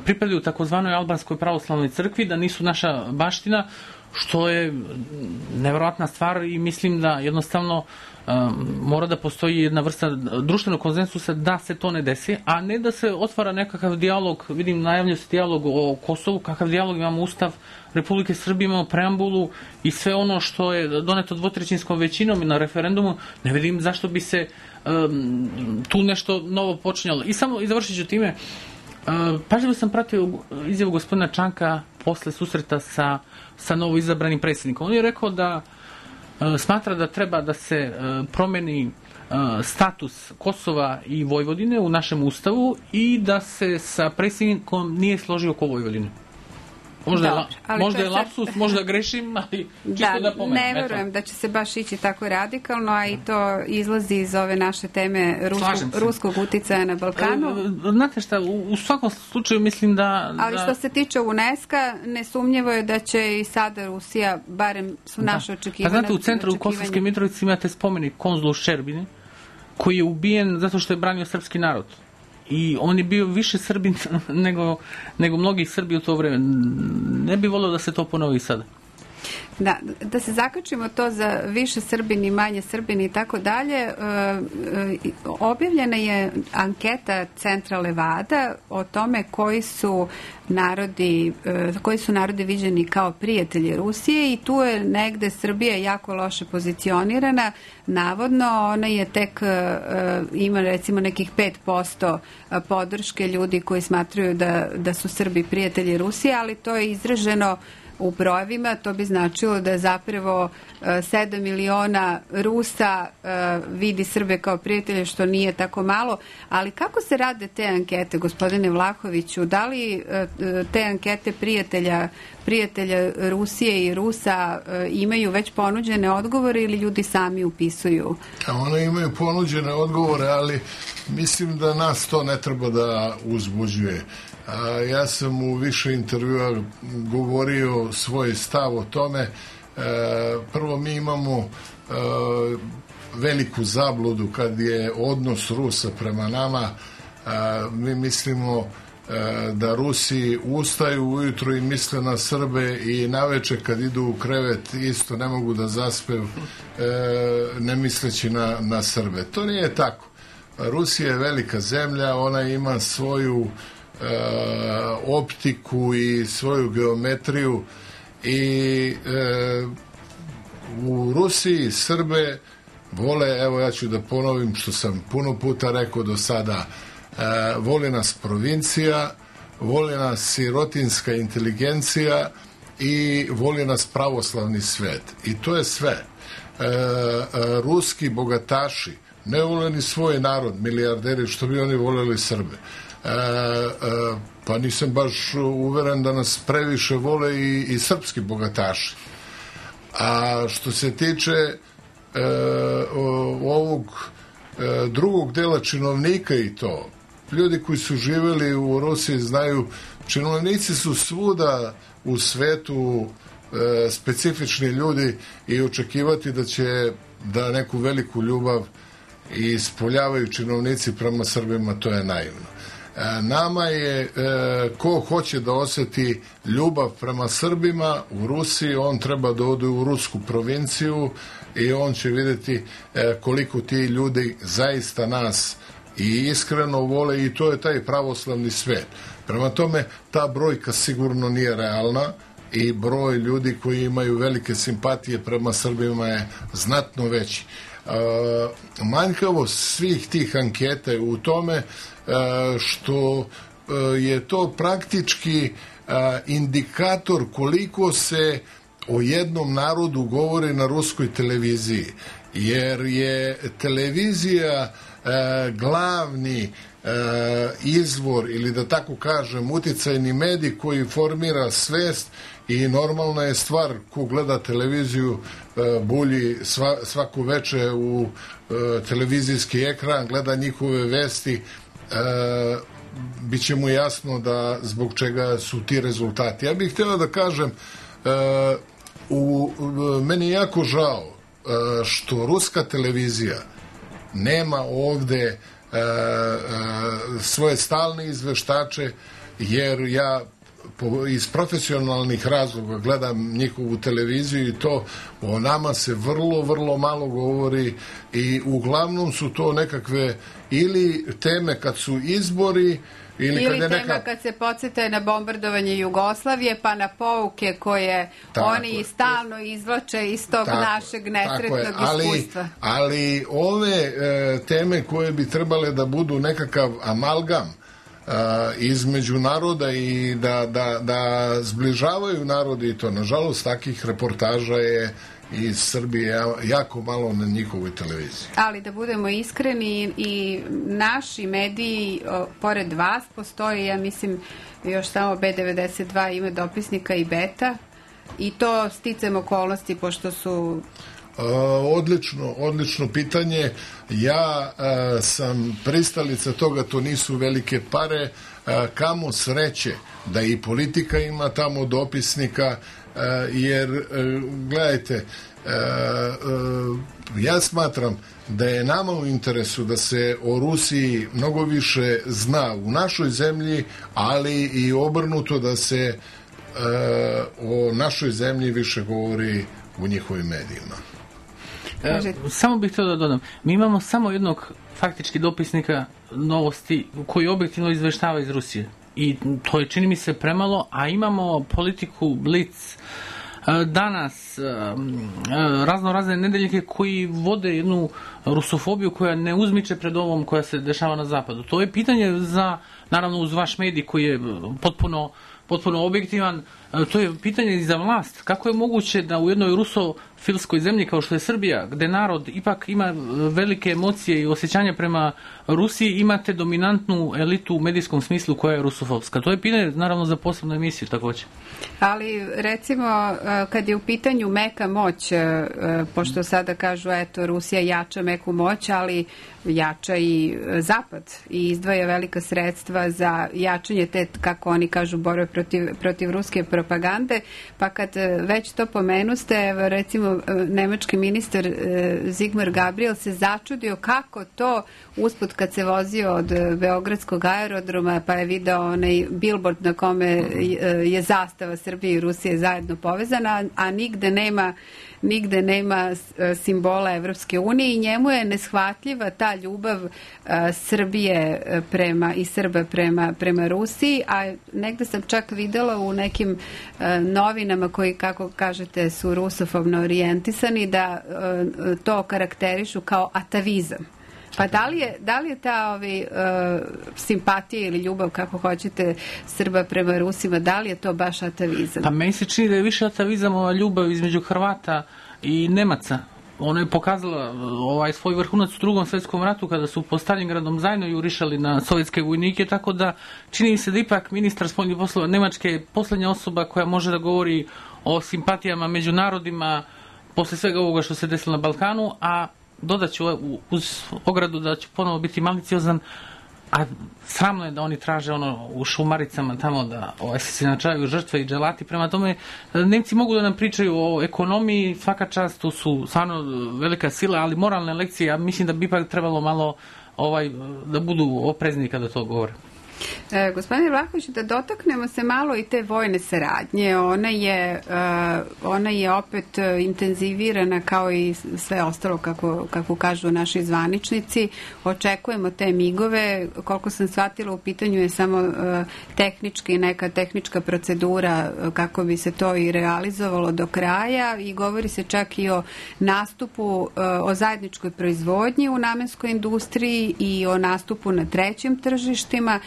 Speaker 4: pripadaju takozvanoj albanskoj pravoslavnoj crkvi, da nisu naša baština, što je nevjerojatna stvar i mislim da jednostavno mora da postoji jedna vrsta društvenog konsenzusa da se to ne desi, a ne da se otvara nekakav dijalog. Vidim, najavljaju se dijalog o Kosovu, kakav dijalog, imamo Ustav Republike Srbije, imamo preambulu i sve ono što je doneto dvotrećinskom većinom i na referendumu, ne vidim zašto bi se tu nešto novo počinjalo. I završit ću time, pažljivo sam pratio izjavu gospodina Čanka posle susreta sa novo izabranim predsjednikom. On je rekao da smatra da treba da se promeni status Kosova i Vojvodine u našem ustavu i da se sa predsjednikom nije složio oko Vojvodine. Možda je lapsus, možda grešim, ali čisto da pomenem.
Speaker 3: Ne verujem da će se baš ići tako radikalno, a i to izlazi iz ove naše teme ruskog uticaja na Balkanu.
Speaker 4: Znate šta, u svakom slučaju mislim da...
Speaker 3: Ali što se tiče UNESCO, nesumnjivo je da će i sada Rusija, barem su naše očekivanja...
Speaker 4: Pa znate, u centru u Kosovskoj Mitrovici imate spomenik konzulu Ščerbine, koji je ubijen zato što je branio srpski narod. I on je bio više Srbin nego mnogi Srbi u to vreme. Ne bi volio da se to ponovi sada.
Speaker 3: Da se zakačimo to za više Srbin i manje Srbin i tako dalje, objavljena je anketa Centra Levada o tome koji su narodi viđeni kao prijatelji Rusije i tu je negde Srbija jako loše pozicionirana. Navodno, ona je tek ima recimo nekih 5% podrške ljudi koji smatraju da su Srbi prijatelji Rusije, ali to je izraženo u brojevima. To bi značilo da je zapravo 7 miliona Rusa vidi Srbe kao prijatelje, što nije tako malo. Ali kako se rade te ankete, gospodine Vlahoviću? Da li te ankete prijatelja Rusije i Rusa imaju već ponuđene odgovore ili ljudi sami upisuju?
Speaker 7: One imaju ponuđene odgovore, ali mislim da nas to ne treba da uzbuđuje. Ja sam u više intervjua govorio svoj stav o tome. Prvo, mi imamo veliku zabludu kad je odnos Rusa prema nama. Mi mislimo da Rusi ustaju ujutro i misle na Srbe i naveče kad idu u krevet isto ne mogu da zaspe ne misleći na Srbe. To nije tako. Rusija je velika zemlja, ona ima svoju optiku i svoju geometriju i u Rusiji Srbe vole, evo ja ću da ponovim što sam puno puta rekao do sada, voli nas provincija, voli nas sirotinska inteligencija i voli nas pravoslavni svet. I to je sve. Ruski bogataši ne vole ni svoj narod, milijarderi, što bi oni voljeli Srbe. Pa nisam baš uveren da nas previše vole i srpski bogataši. A što se tiče ovog drugog dela činovnika i to, ljudi koji su živjeli u Rusiji znaju, činovnici su svuda u svetu specifični ljudi i očekivati da će da neku veliku ljubav ispoljavaju činovnici prema Srbima, to je naivno. Nama je, ko hoće da osjeti ljubav prema Srbima u Rusiji, on treba da ode u rusku provinciju i on će vidjeti koliko ti ljudi zaista nas i iskreno vole i to je taj pravoslavni svet. Prema tome, ta brojka sigurno nije realna i broj ljudi koji imaju velike simpatije prema Srbima je znatno veći. Manjkavost svih tih anketa je u tome što je to praktički indikator koliko se o jednom narodu govori na ruskoj televiziji, jer je televizija glavni izvor ili da tako kažem uticajni medij koji formira svest i normalna je stvar ko gleda televiziju bulji svako veče u televizijski ekran, gleda njihove vesti, bit će mu jasno da zbog čega su ti rezultati. Ja bih htio da kažem, meni je jako žao što ruska televizija nema ovde svoje stalne izveštače, jer ja iz profesionalnih razloga gledam njihovu televiziju i to o nama se vrlo, vrlo malo govori i uglavnom su to nekakve ili teme kad su izbori
Speaker 3: ili tema kad se podsjete na bombardovanje Jugoslavije pa na pouke koje oni stalno izvlače iz tog našeg nesretnog iskustva.
Speaker 7: Ali ove teme koje bi trebale da budu nekakav amalgam između naroda i da zbližavaju narodi i to, nažalost, takih reportaža je iz Srbije jako malo na njihovoj televiziji.
Speaker 3: Ali da budemo iskreni, i naši mediji, pored vas, postoji, ja mislim, još samo B92 ime dopisnika i Beta, i to sticam okolnosti, pošto su...
Speaker 7: Odlično pitanje. Ja sam pristalica toga, to nisu velike pare, kamo sreće da i politika ima tamo dopisnika, jer gledajte, ja smatram da je nama u interesu da se o Rusiji mnogo više zna u našoj zemlji, ali i obrnuto da se o našoj zemlji više govori u njihovim medijima.
Speaker 4: Samo bih htio da dodam, mi imamo samo jednog faktički dopisnika novosti koji objektivno izveštava iz Rusije i to je, čini mi se, premalo, a imamo politiku Blic, Danas, razne nedeljike koji vode jednu rusofobiju koja ne uzmiče pred ovom koja se dešava na zapadu. To je pitanje za, naravno uz vaš medij koji je potpuno objektivan, to je pitanje i za vlast. Kako je moguće da u jednoj rusofilskoj zemlji kao što je Srbija, gde narod ipak ima velike emocije i osjećanja prema Rusiji, imate dominantnu elitu u medijskom smislu koja je rusofilska? To je pitanje, naravno, za posebnu emisiju takođe.
Speaker 3: Ali, recimo, kad je u pitanju meka moć, pošto sada kažu, eto, Rusija jača meku moć, ali jača i Zapad i izdvaja velika sredstva za jačanje te, kako oni kažu, borbe protiv ruske propagande, pa kad već to pomenuste, recimo, nemački ministar Sigmar Gabriel se začudio kako to usput kad se vozio od Beogradskog aerodroma pa je video onaj billboard na kome je zastava Srbije i Rusije zajedno povezana, a nigde nema simbola Evropske unije i njemu je neshvatljiva ta ljubav Srbije i Srba prema Rusiji, a negde sam čak videla u nekim novinama koji, kako kažete, su rusofobno orijentisani, da to karakterišu kao atavizam. Pa da li je ta simpatija ili ljubav, kako hoćete, Srba prema Rusima, da li je to baš atavizam?
Speaker 4: Pa meni se čini da je više atavizam ova ljubav između Hrvata i Nemaca. Ona je pokazala svoj vrhunac u Drugom svetskom ratu kada su po Stalingradom zajedno jurišali na sovjetske vojnike, tako da čini mi se da ipak ministar spoljnih poslova Nemačke je poslednja osoba koja može da govori o simpatijama među narodima posle svega ovoga što se desilo na Balkanu, a dodat ću uz ogradu da ću ponovo biti maliciozan, a sramno je da oni traže u Šumaricama tamo da se načaju žrtve i dželati. Prema tome, Nemci mogu da nam pričaju o ekonomiji, svaka čast, tu su stvarno velika sila, ali moralne lekcije, ja mislim da bi ipak trebalo malo da budu oprezni kada to govore.
Speaker 3: Gospodine Vlahović, da dotaknemo se malo i te vojne saradnje. Ona je opet intenzivirana kao i sve ostalo, kako kažu naši zvaničnici. Očekujemo te migove. Koliko sam shvatila, u pitanju je samo neka tehnička procedura kako bi se to i realizovalo do kraja i govori se čak i o nastupu, o zajedničkoj proizvodnji u namenskoj industriji i o nastupu na trećim tržištima.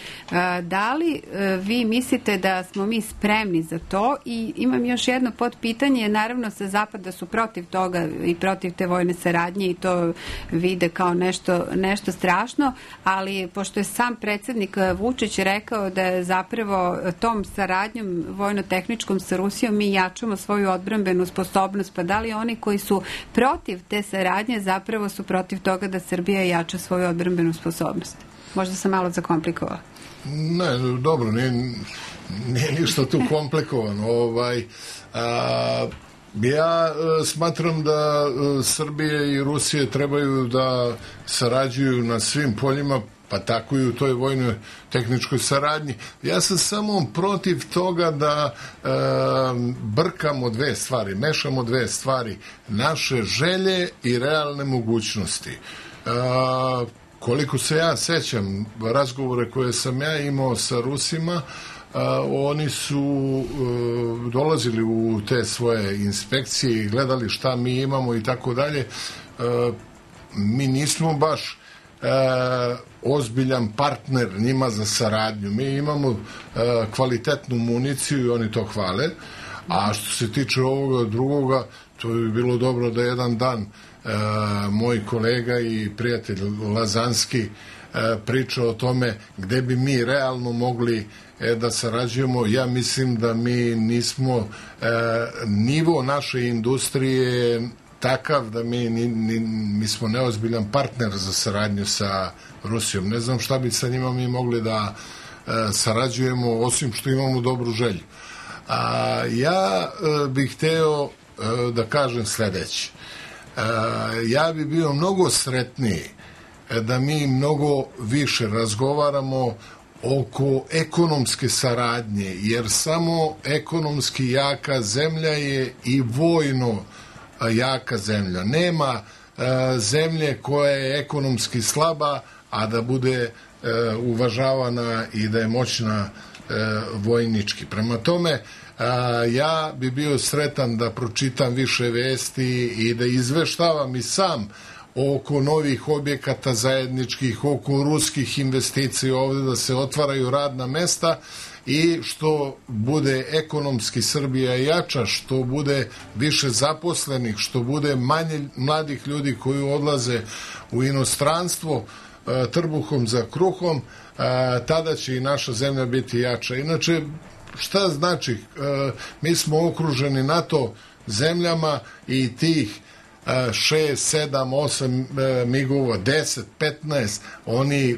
Speaker 3: Da li vi mislite da smo mi spremni za to? I imam još jedno podpitanje, naravno sa Zapada su protiv toga i protiv te vojne saradnje i to vide kao nešto strašno, ali pošto je sam predsjednik Vučić rekao da je zapravo tom saradnjom vojno-tehničkom sa Rusijom mi jačamo svoju odbrambenu sposobnost, pa da li oni koji su protiv te saradnje zapravo su protiv toga da Srbija jača svoju odbrambenu sposobnost? Možda sam malo zakomplikovala.
Speaker 7: Ne, dobro, nije ništa tu komplikovano. Ja smatram da Srbije i Rusije trebaju da sarađuju na svim poljima, pa tako i u toj vojnoj tehničkoj saradnji. Ja sam samo protiv toga da brkamo dve stvari, mešamo dve stvari, naše želje i realne mogućnosti. Koliko se ja sećam razgovore koje sam ja imao sa Rusima, oni su dolazili u te svoje inspekcije i gledali šta mi imamo i tako dalje. Mi nismo baš ozbiljan partner njima za saradnju. Mi imamo kvalitetnu municiju i oni to hvale. A što se tiče ovoga drugoga, to bi bilo dobro da jedan dan moj kolega i prijatelj Lazanski priča o tome gde bi mi realno mogli da sarađujemo. Ja mislim da mi nismo, nivo naše industrije takav da mi smo neozbiljan partner za saradnju sa Rusijom. Ne znam šta bi sa njima mi mogli da sarađujemo, osim što imamo dobru želju. Ja bih hteo da kažem sledeće. Ja bi bio mnogo sretniji da mi mnogo više razgovaramo oko ekonomske saradnje, jer samo ekonomski jaka zemlja je i vojno jaka zemlja. Nema zemlje koja je ekonomski slaba, a da bude uvažavana i da je moćna vojnički. Prema tome, ja bi bio sretan da pročitam više vesti i da izveštavam i sam oko novih objekata zajedničkih, oko ruskih investicija ovde, da se otvaraju radna mesta i što bude ekonomski Srbija jača, što bude više zaposlenih, što bude manje mladih ljudi koji odlaze u inostranstvo trbuhom za kruhom, tada će i naša zemlja biti jača. Inače, šta znači? Mi smo okruženi NATO zemljama i tih 6, 7, 8 migova, 10, 15, oni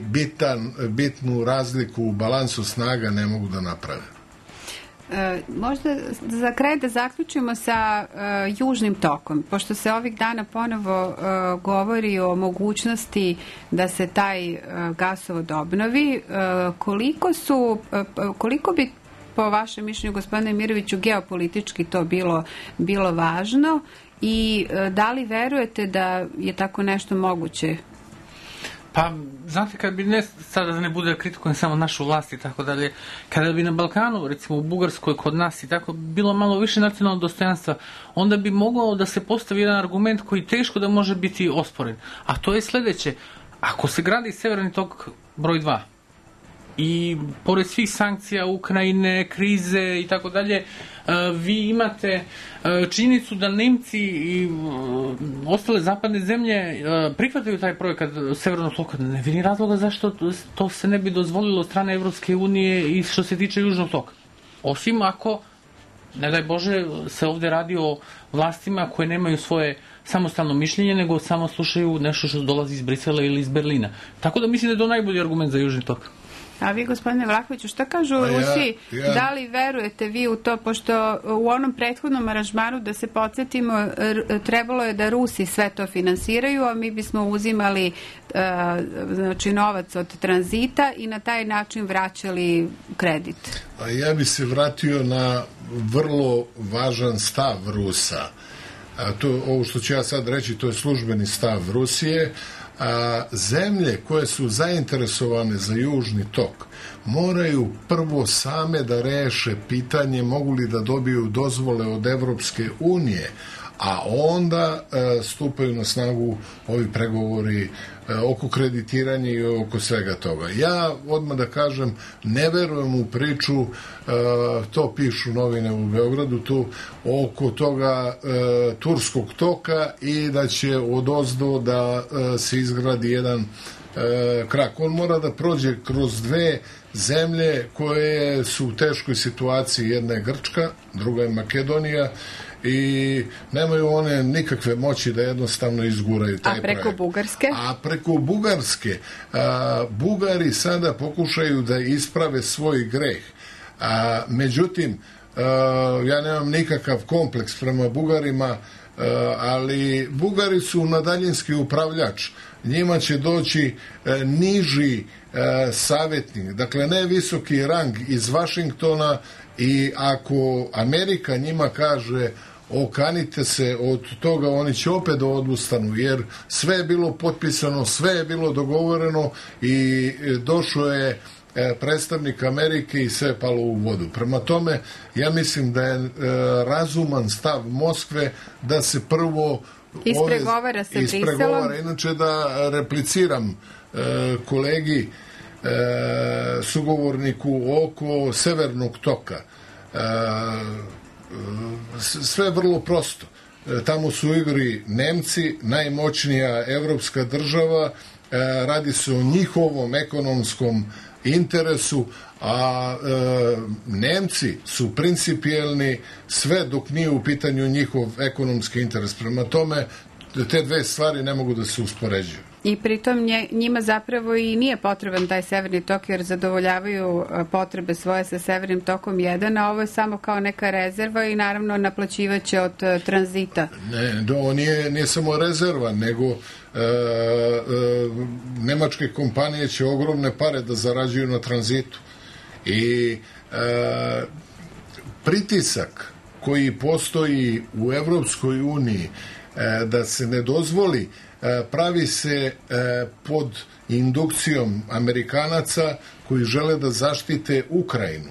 Speaker 7: bitnu razliku u balansu snaga ne mogu da naprave.
Speaker 3: Možda za kraj da zaključimo sa Južnim tokom, pošto se ovih dana ponovo govori o mogućnosti da se taj gasovod obnovi, koliko bi po vašem mišljenju, gospodine Miroviću, geopolitički to bilo važno i da li verujete da je tako nešto moguće?
Speaker 4: Pa, znate, kad bi sada da ne bude kritikujem samo našu vlast i tako dalje, kada bi na Balkanu, recimo u Bugarskoj, kod nas i tako, bilo malo više nacionalnog dostojanstva, onda bi mogao da se postavi jedan argument koji teško da može biti osporen. A to je sledeće. Ako se gradi Severni tok broj 2, i pored svih sankcija Ukrajine, krize i tako dalje, vi imate činjenicu da Nemci i ostale zapadne zemlje prihvataju taj projekat Severnog toka. Ne vidim razloga zašto to se ne bi dozvolilo od strane Evropske unije i što se tiče Južnog toka. Osim ako, ne daj Bože, se ovde radi o vlastima koje nemaju svoje samostalno mišljenje, nego samo slušaju nešto što dolazi iz Brisela ili iz Berlina. Tako da mislim da je to najbolji argument za Južni tok.
Speaker 3: A vi, gospodine Vlahoviću, šta kažu u Rusiji? Da li verujete vi u to, pošto u onom prethodnom aranžmanu, da se podsjetimo, trebalo je da Rusi sve to finansiraju, a mi bismo uzimali znači novac od tranzita i na taj način vraćali kredit.
Speaker 7: A ja bi se vratio na vrlo važan stav Rusa. Ovo što ću ja sad reći, to je službeni stav Rusije. Zemlje koje su zainteresovane za južni tok moraju prvo same da reše pitanje mogu li da dobiju dozvole od Evropske unije, a onda stupaju na snagu ovi pregovori oko kreditiranja i oko svega toga. Ja odmah da kažem, ne verujem u priču, to pišu novine u Beogradu, tu oko toga turskog toka i da će odozdo da se izgradi jedan krak. On mora da prođe kroz dve zemlje koje su u teškoj situaciji. Jedna je Grčka, druga je Makedonija, i nemaju one nikakve moći da jednostavno izguraju taj projekt.
Speaker 3: A preko Bugarske?
Speaker 7: A preko Bugarske Bugari sada pokušaju da isprave svoj greh. Međutim, ja nemam nikakav kompleks prema Bugarima, ali Bugari su na daljinski upravljač. Njima će doći niži savjetnik, dakle ne visoki rang iz Vašingtona, i ako Amerika njima kaže okanite se od toga, oni će opet da odustanu, jer sve je bilo potpisano, sve je bilo dogovoreno i došao je predstavnik Amerike i sve je palo u vodu. Prema tome, ja mislim da je razuman stav Moskve da se prvo
Speaker 3: ispregovara sa Briselom.
Speaker 7: Inače, da repliciram kolegi sugovorniku oko severnog toka. Sve je vrlo prosto. Tamo su u igri Nemci, najmoćnija evropska država, radi se o njihovom ekonomskom interesu, a Nemci su principijelni sve dok nije u pitanju njihov ekonomski interes. Prema tome, te dve stvari ne mogu da se uspoređuju.
Speaker 3: I pritom njima zapravo i nije potreban taj severni tok, jer zadovoljavaju potrebe svoje sa severnim tokom 1, a ovo je samo kao neka rezerva i naravno naplaćivaće od tranzita.
Speaker 7: Ne, nije samo rezerva, nego nemačke kompanije će ogromne pare da zarađuju na tranzitu. I pritisak koji postoji u Evropskoj uniji da se ne dozvoli, pravi se pod indukcijom Amerikanaca koji žele da zaštite Ukrajinu.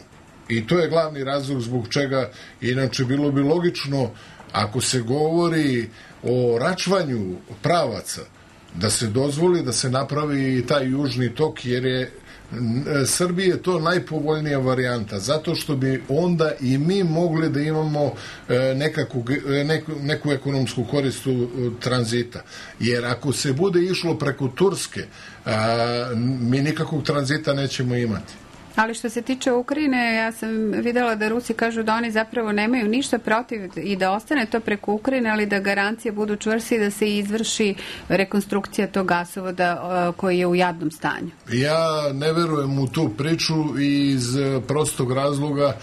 Speaker 7: I to je glavni razlog zbog čega, inače bilo bi logično, ako se govori o račvanju pravaca, da se dozvoli da se napravi taj južni tok, jer je Srbiji je to najpovoljnija varijanta, zato što bi onda i mi mogli da imamo neku ekonomsku korist od tranzita. Jer ako se bude išlo preko Turske, mi nikakvog tranzita nećemo imati.
Speaker 3: Ali što se tiče Ukrajine, ja sam videla da Rusi kažu da oni zapravo nemaju ništa protiv i da ostane to preko Ukrajine, ali da garancije budu čvrste i da se izvrši rekonstrukcija tog gasovoda koji je u jadnom stanju.
Speaker 7: Ja ne verujem u tu priču iz prostog razloga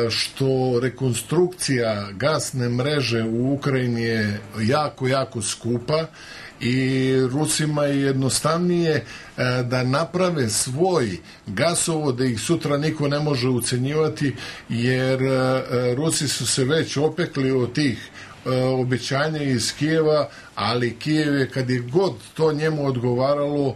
Speaker 7: što rekonstrukcija gasne mreže u Ukrajini je jako, jako skupa i Rusima je jednostavnije da naprave svoj gasovod, da ih sutra niko ne može ucenjivati, jer Rusi su se već opekli od tih obećanja iz Kijeva, ali Kijev je, kad je god to njemu odgovaralo,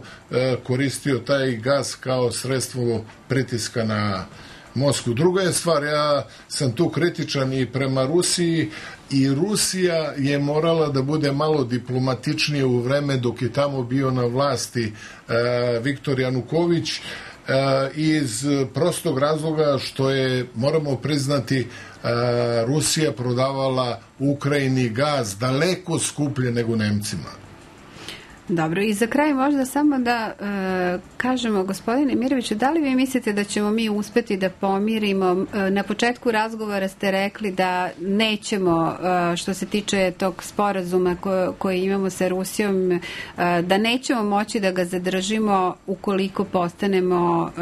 Speaker 7: koristio taj gas kao sredstvo pritiska na Moskvu. Druga je stvar, ja sam tu kritičan i prema Rusiji, i Rusija je morala da bude malo diplomatičnije u vreme dok je tamo bio na vlasti Viktor Januković, iz prostog razloga što je, moramo priznati, Rusija prodavala Ukrajini gaz daleko skuplje nego Nemcima.
Speaker 3: Dobro, i za kraj možda samo da kažemo, gospodine Miroviću, da li vi mislite da ćemo mi uspeti da pomirimo, na početku razgovora ste rekli da nećemo, što se tiče tog sporazuma koji imamo sa Rusijom, da nećemo moći da ga zadržimo ukoliko postanemo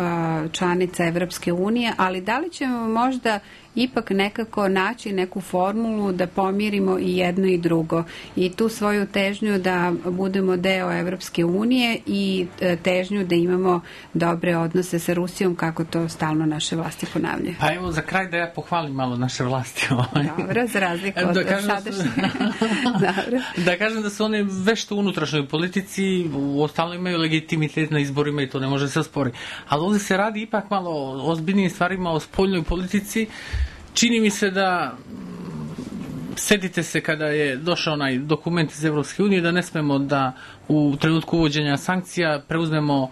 Speaker 3: članica Evropske unije, ali da li ćemo možda ipak nekako naći neku formulu da pomirimo i jedno i drugo i tu svoju težnju da budemo deo Evropske unije i težnju da imamo dobre odnose sa Rusijom, kako to stalno naše vlasti ponavljaju.
Speaker 4: Pa evo za kraj da ja pohvalim malo naše vlasti.
Speaker 3: Dobro, za razliku od sadašnje.
Speaker 4: Da kažem da su one vešto u unutrašnjoj politici, ostalo imaju legitimitet na izborima i to ne može se ospori. Ali ovdje se radi ipak malo o ozbiljnijim stvarima, o spoljnoj politici. Čini mi se da, setite se kada je došao onaj dokument iz Evropske unije, da ne smemo da u trenutku uvođenja sankcija preuzmemo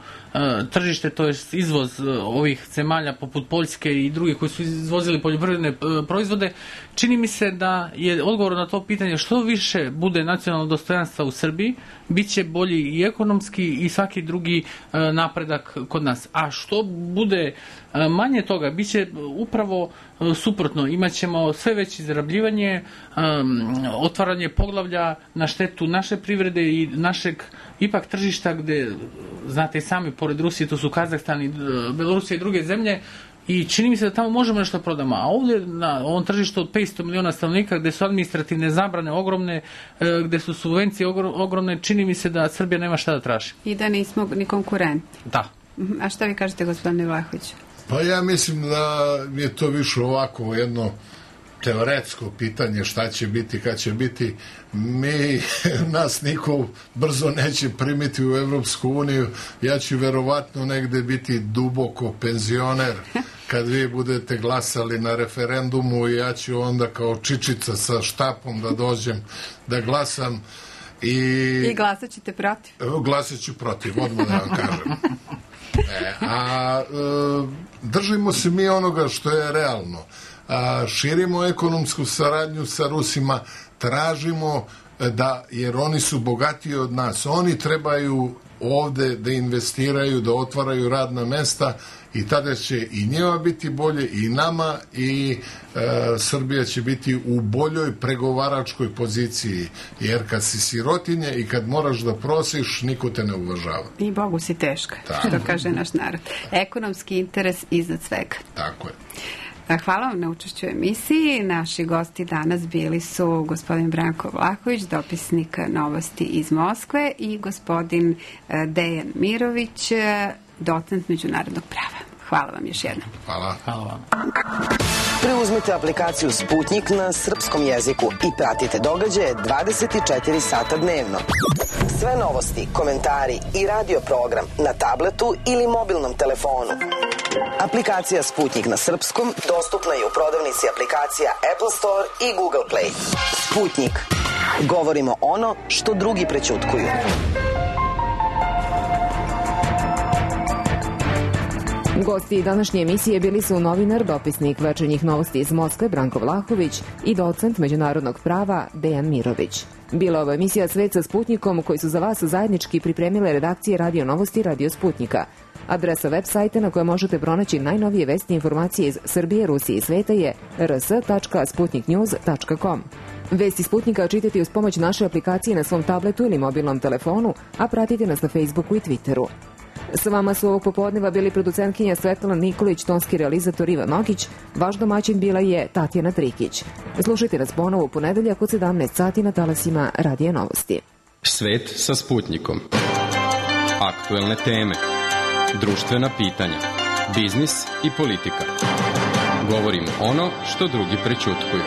Speaker 4: tržište, to je izvoz ovih zemalja poput Poljske i drugih koji su izvozili poljoprivredne proizvode. Čini mi se da je odgovor na to pitanje što više bude nacionalnog dostojanstva u Srbiji, bit će bolji i ekonomski i svaki drugi napredak kod nas. A što bude manje toga, bit će upravo suprotno. Imaćemo sve veće izrabljivanje, otvaranje poglavlja na štetu naše privrede i našeg ipak tržišta gde, znate i sami, pored Rusije, to su Kazahstan i Belorusija i druge zemlje, i čini mi se da tamo možemo nešto prodamo. A ovdje na ovom tržištu od 500 miliona stanovnika, gde su administrativne zabrane ogromne, gde su subvencije ogromne, čini mi se da Srbija nema šta da traži.
Speaker 3: I da nismo ni konkurenti.
Speaker 4: Da.
Speaker 3: A šta vi kažete, gospodine Vlahović?
Speaker 7: Pa ja mislim da je to više ovako jedno teoretsko pitanje šta će biti, kad će biti. Nas niko brzo neće primiti u Evropsku uniju. Ja ću verovatno negde biti duboko penzioner kad vi budete glasali na referendumu i ja ću onda kao čičica sa štapom da dođem da glasam. I
Speaker 3: glasat ćete protiv?
Speaker 7: Glasat ću protiv, odmah da vam kažem. Držimo se mi onoga što je realno. Širimo ekonomsku saradnju sa Rusima, tražimo da, jer oni su bogatiji od nas, oni trebaju ovde da investiraju, da otvaraju radna mesta i tada će i njima biti bolje i nama i Srbija će biti u boljoj pregovaračkoj poziciji, jer kad si sirotinja i kad moraš da prosiš, niko te ne uvažava.
Speaker 3: I Bogu si teška, što kaže naš narod. Ekonomski interes iznad svega.
Speaker 7: Tako je.
Speaker 3: Hvala vam na učešću u emisiji. Naši gosti danas bili su gospodin Branko Vlahović, dopisnik Novosti iz Moskve, i gospodin Dejan Mirović, docent međunarodnog prava. Hvala vam još jednom.
Speaker 7: Hvala.
Speaker 4: Hvala vam.
Speaker 8: Preuzmite aplikaciju Sputnik na srpskom jeziku i pratite događaje 24 sata dnevno. Sve novosti, komentari i radio program na tabletu ili mobilnom telefonu. Aplikacija Sputnik na srpskom dostupna je u prodavnici aplikacija Apple Store i Google Play. Sputnik. Govorimo ono što drugi prećutkuju.
Speaker 2: Gosti današnje emisije bili su novinar, dopisnik Večernjih novosti iz Moskve Branko Vlahović i docent međunarodnog prava Dejan Mirović. Bila ova emisija Svet sa Sputnikom, koji su za vas zajednički pripremile redakcije Radio Novosti i Radio Sputnika. Adresa web sajta na kojoj možete pronaći najnovije vesti i informacije iz Srbije, Rusije i sveta je rs.sputniknews.com. Vesti Sputnika čitajte uz pomoć naše aplikacije na svom tabletu ili mobilnom telefonu, a pratite nas na Facebooku i Twitteru. S vama su ovog popodneva bili producentkinja Svetlana Nikolić, tonski realizator Ivan Nokić, vaš domaćin bila je Tatjana Trikić. Slušajte nas ponovo u ponedeljak od 17 sati na talasima Radija Novosti.
Speaker 1: Svet sa Sputnikom. Aktuelne teme, društvena pitanja, biznis i politika. Govorimo ono što drugi prećutkuju.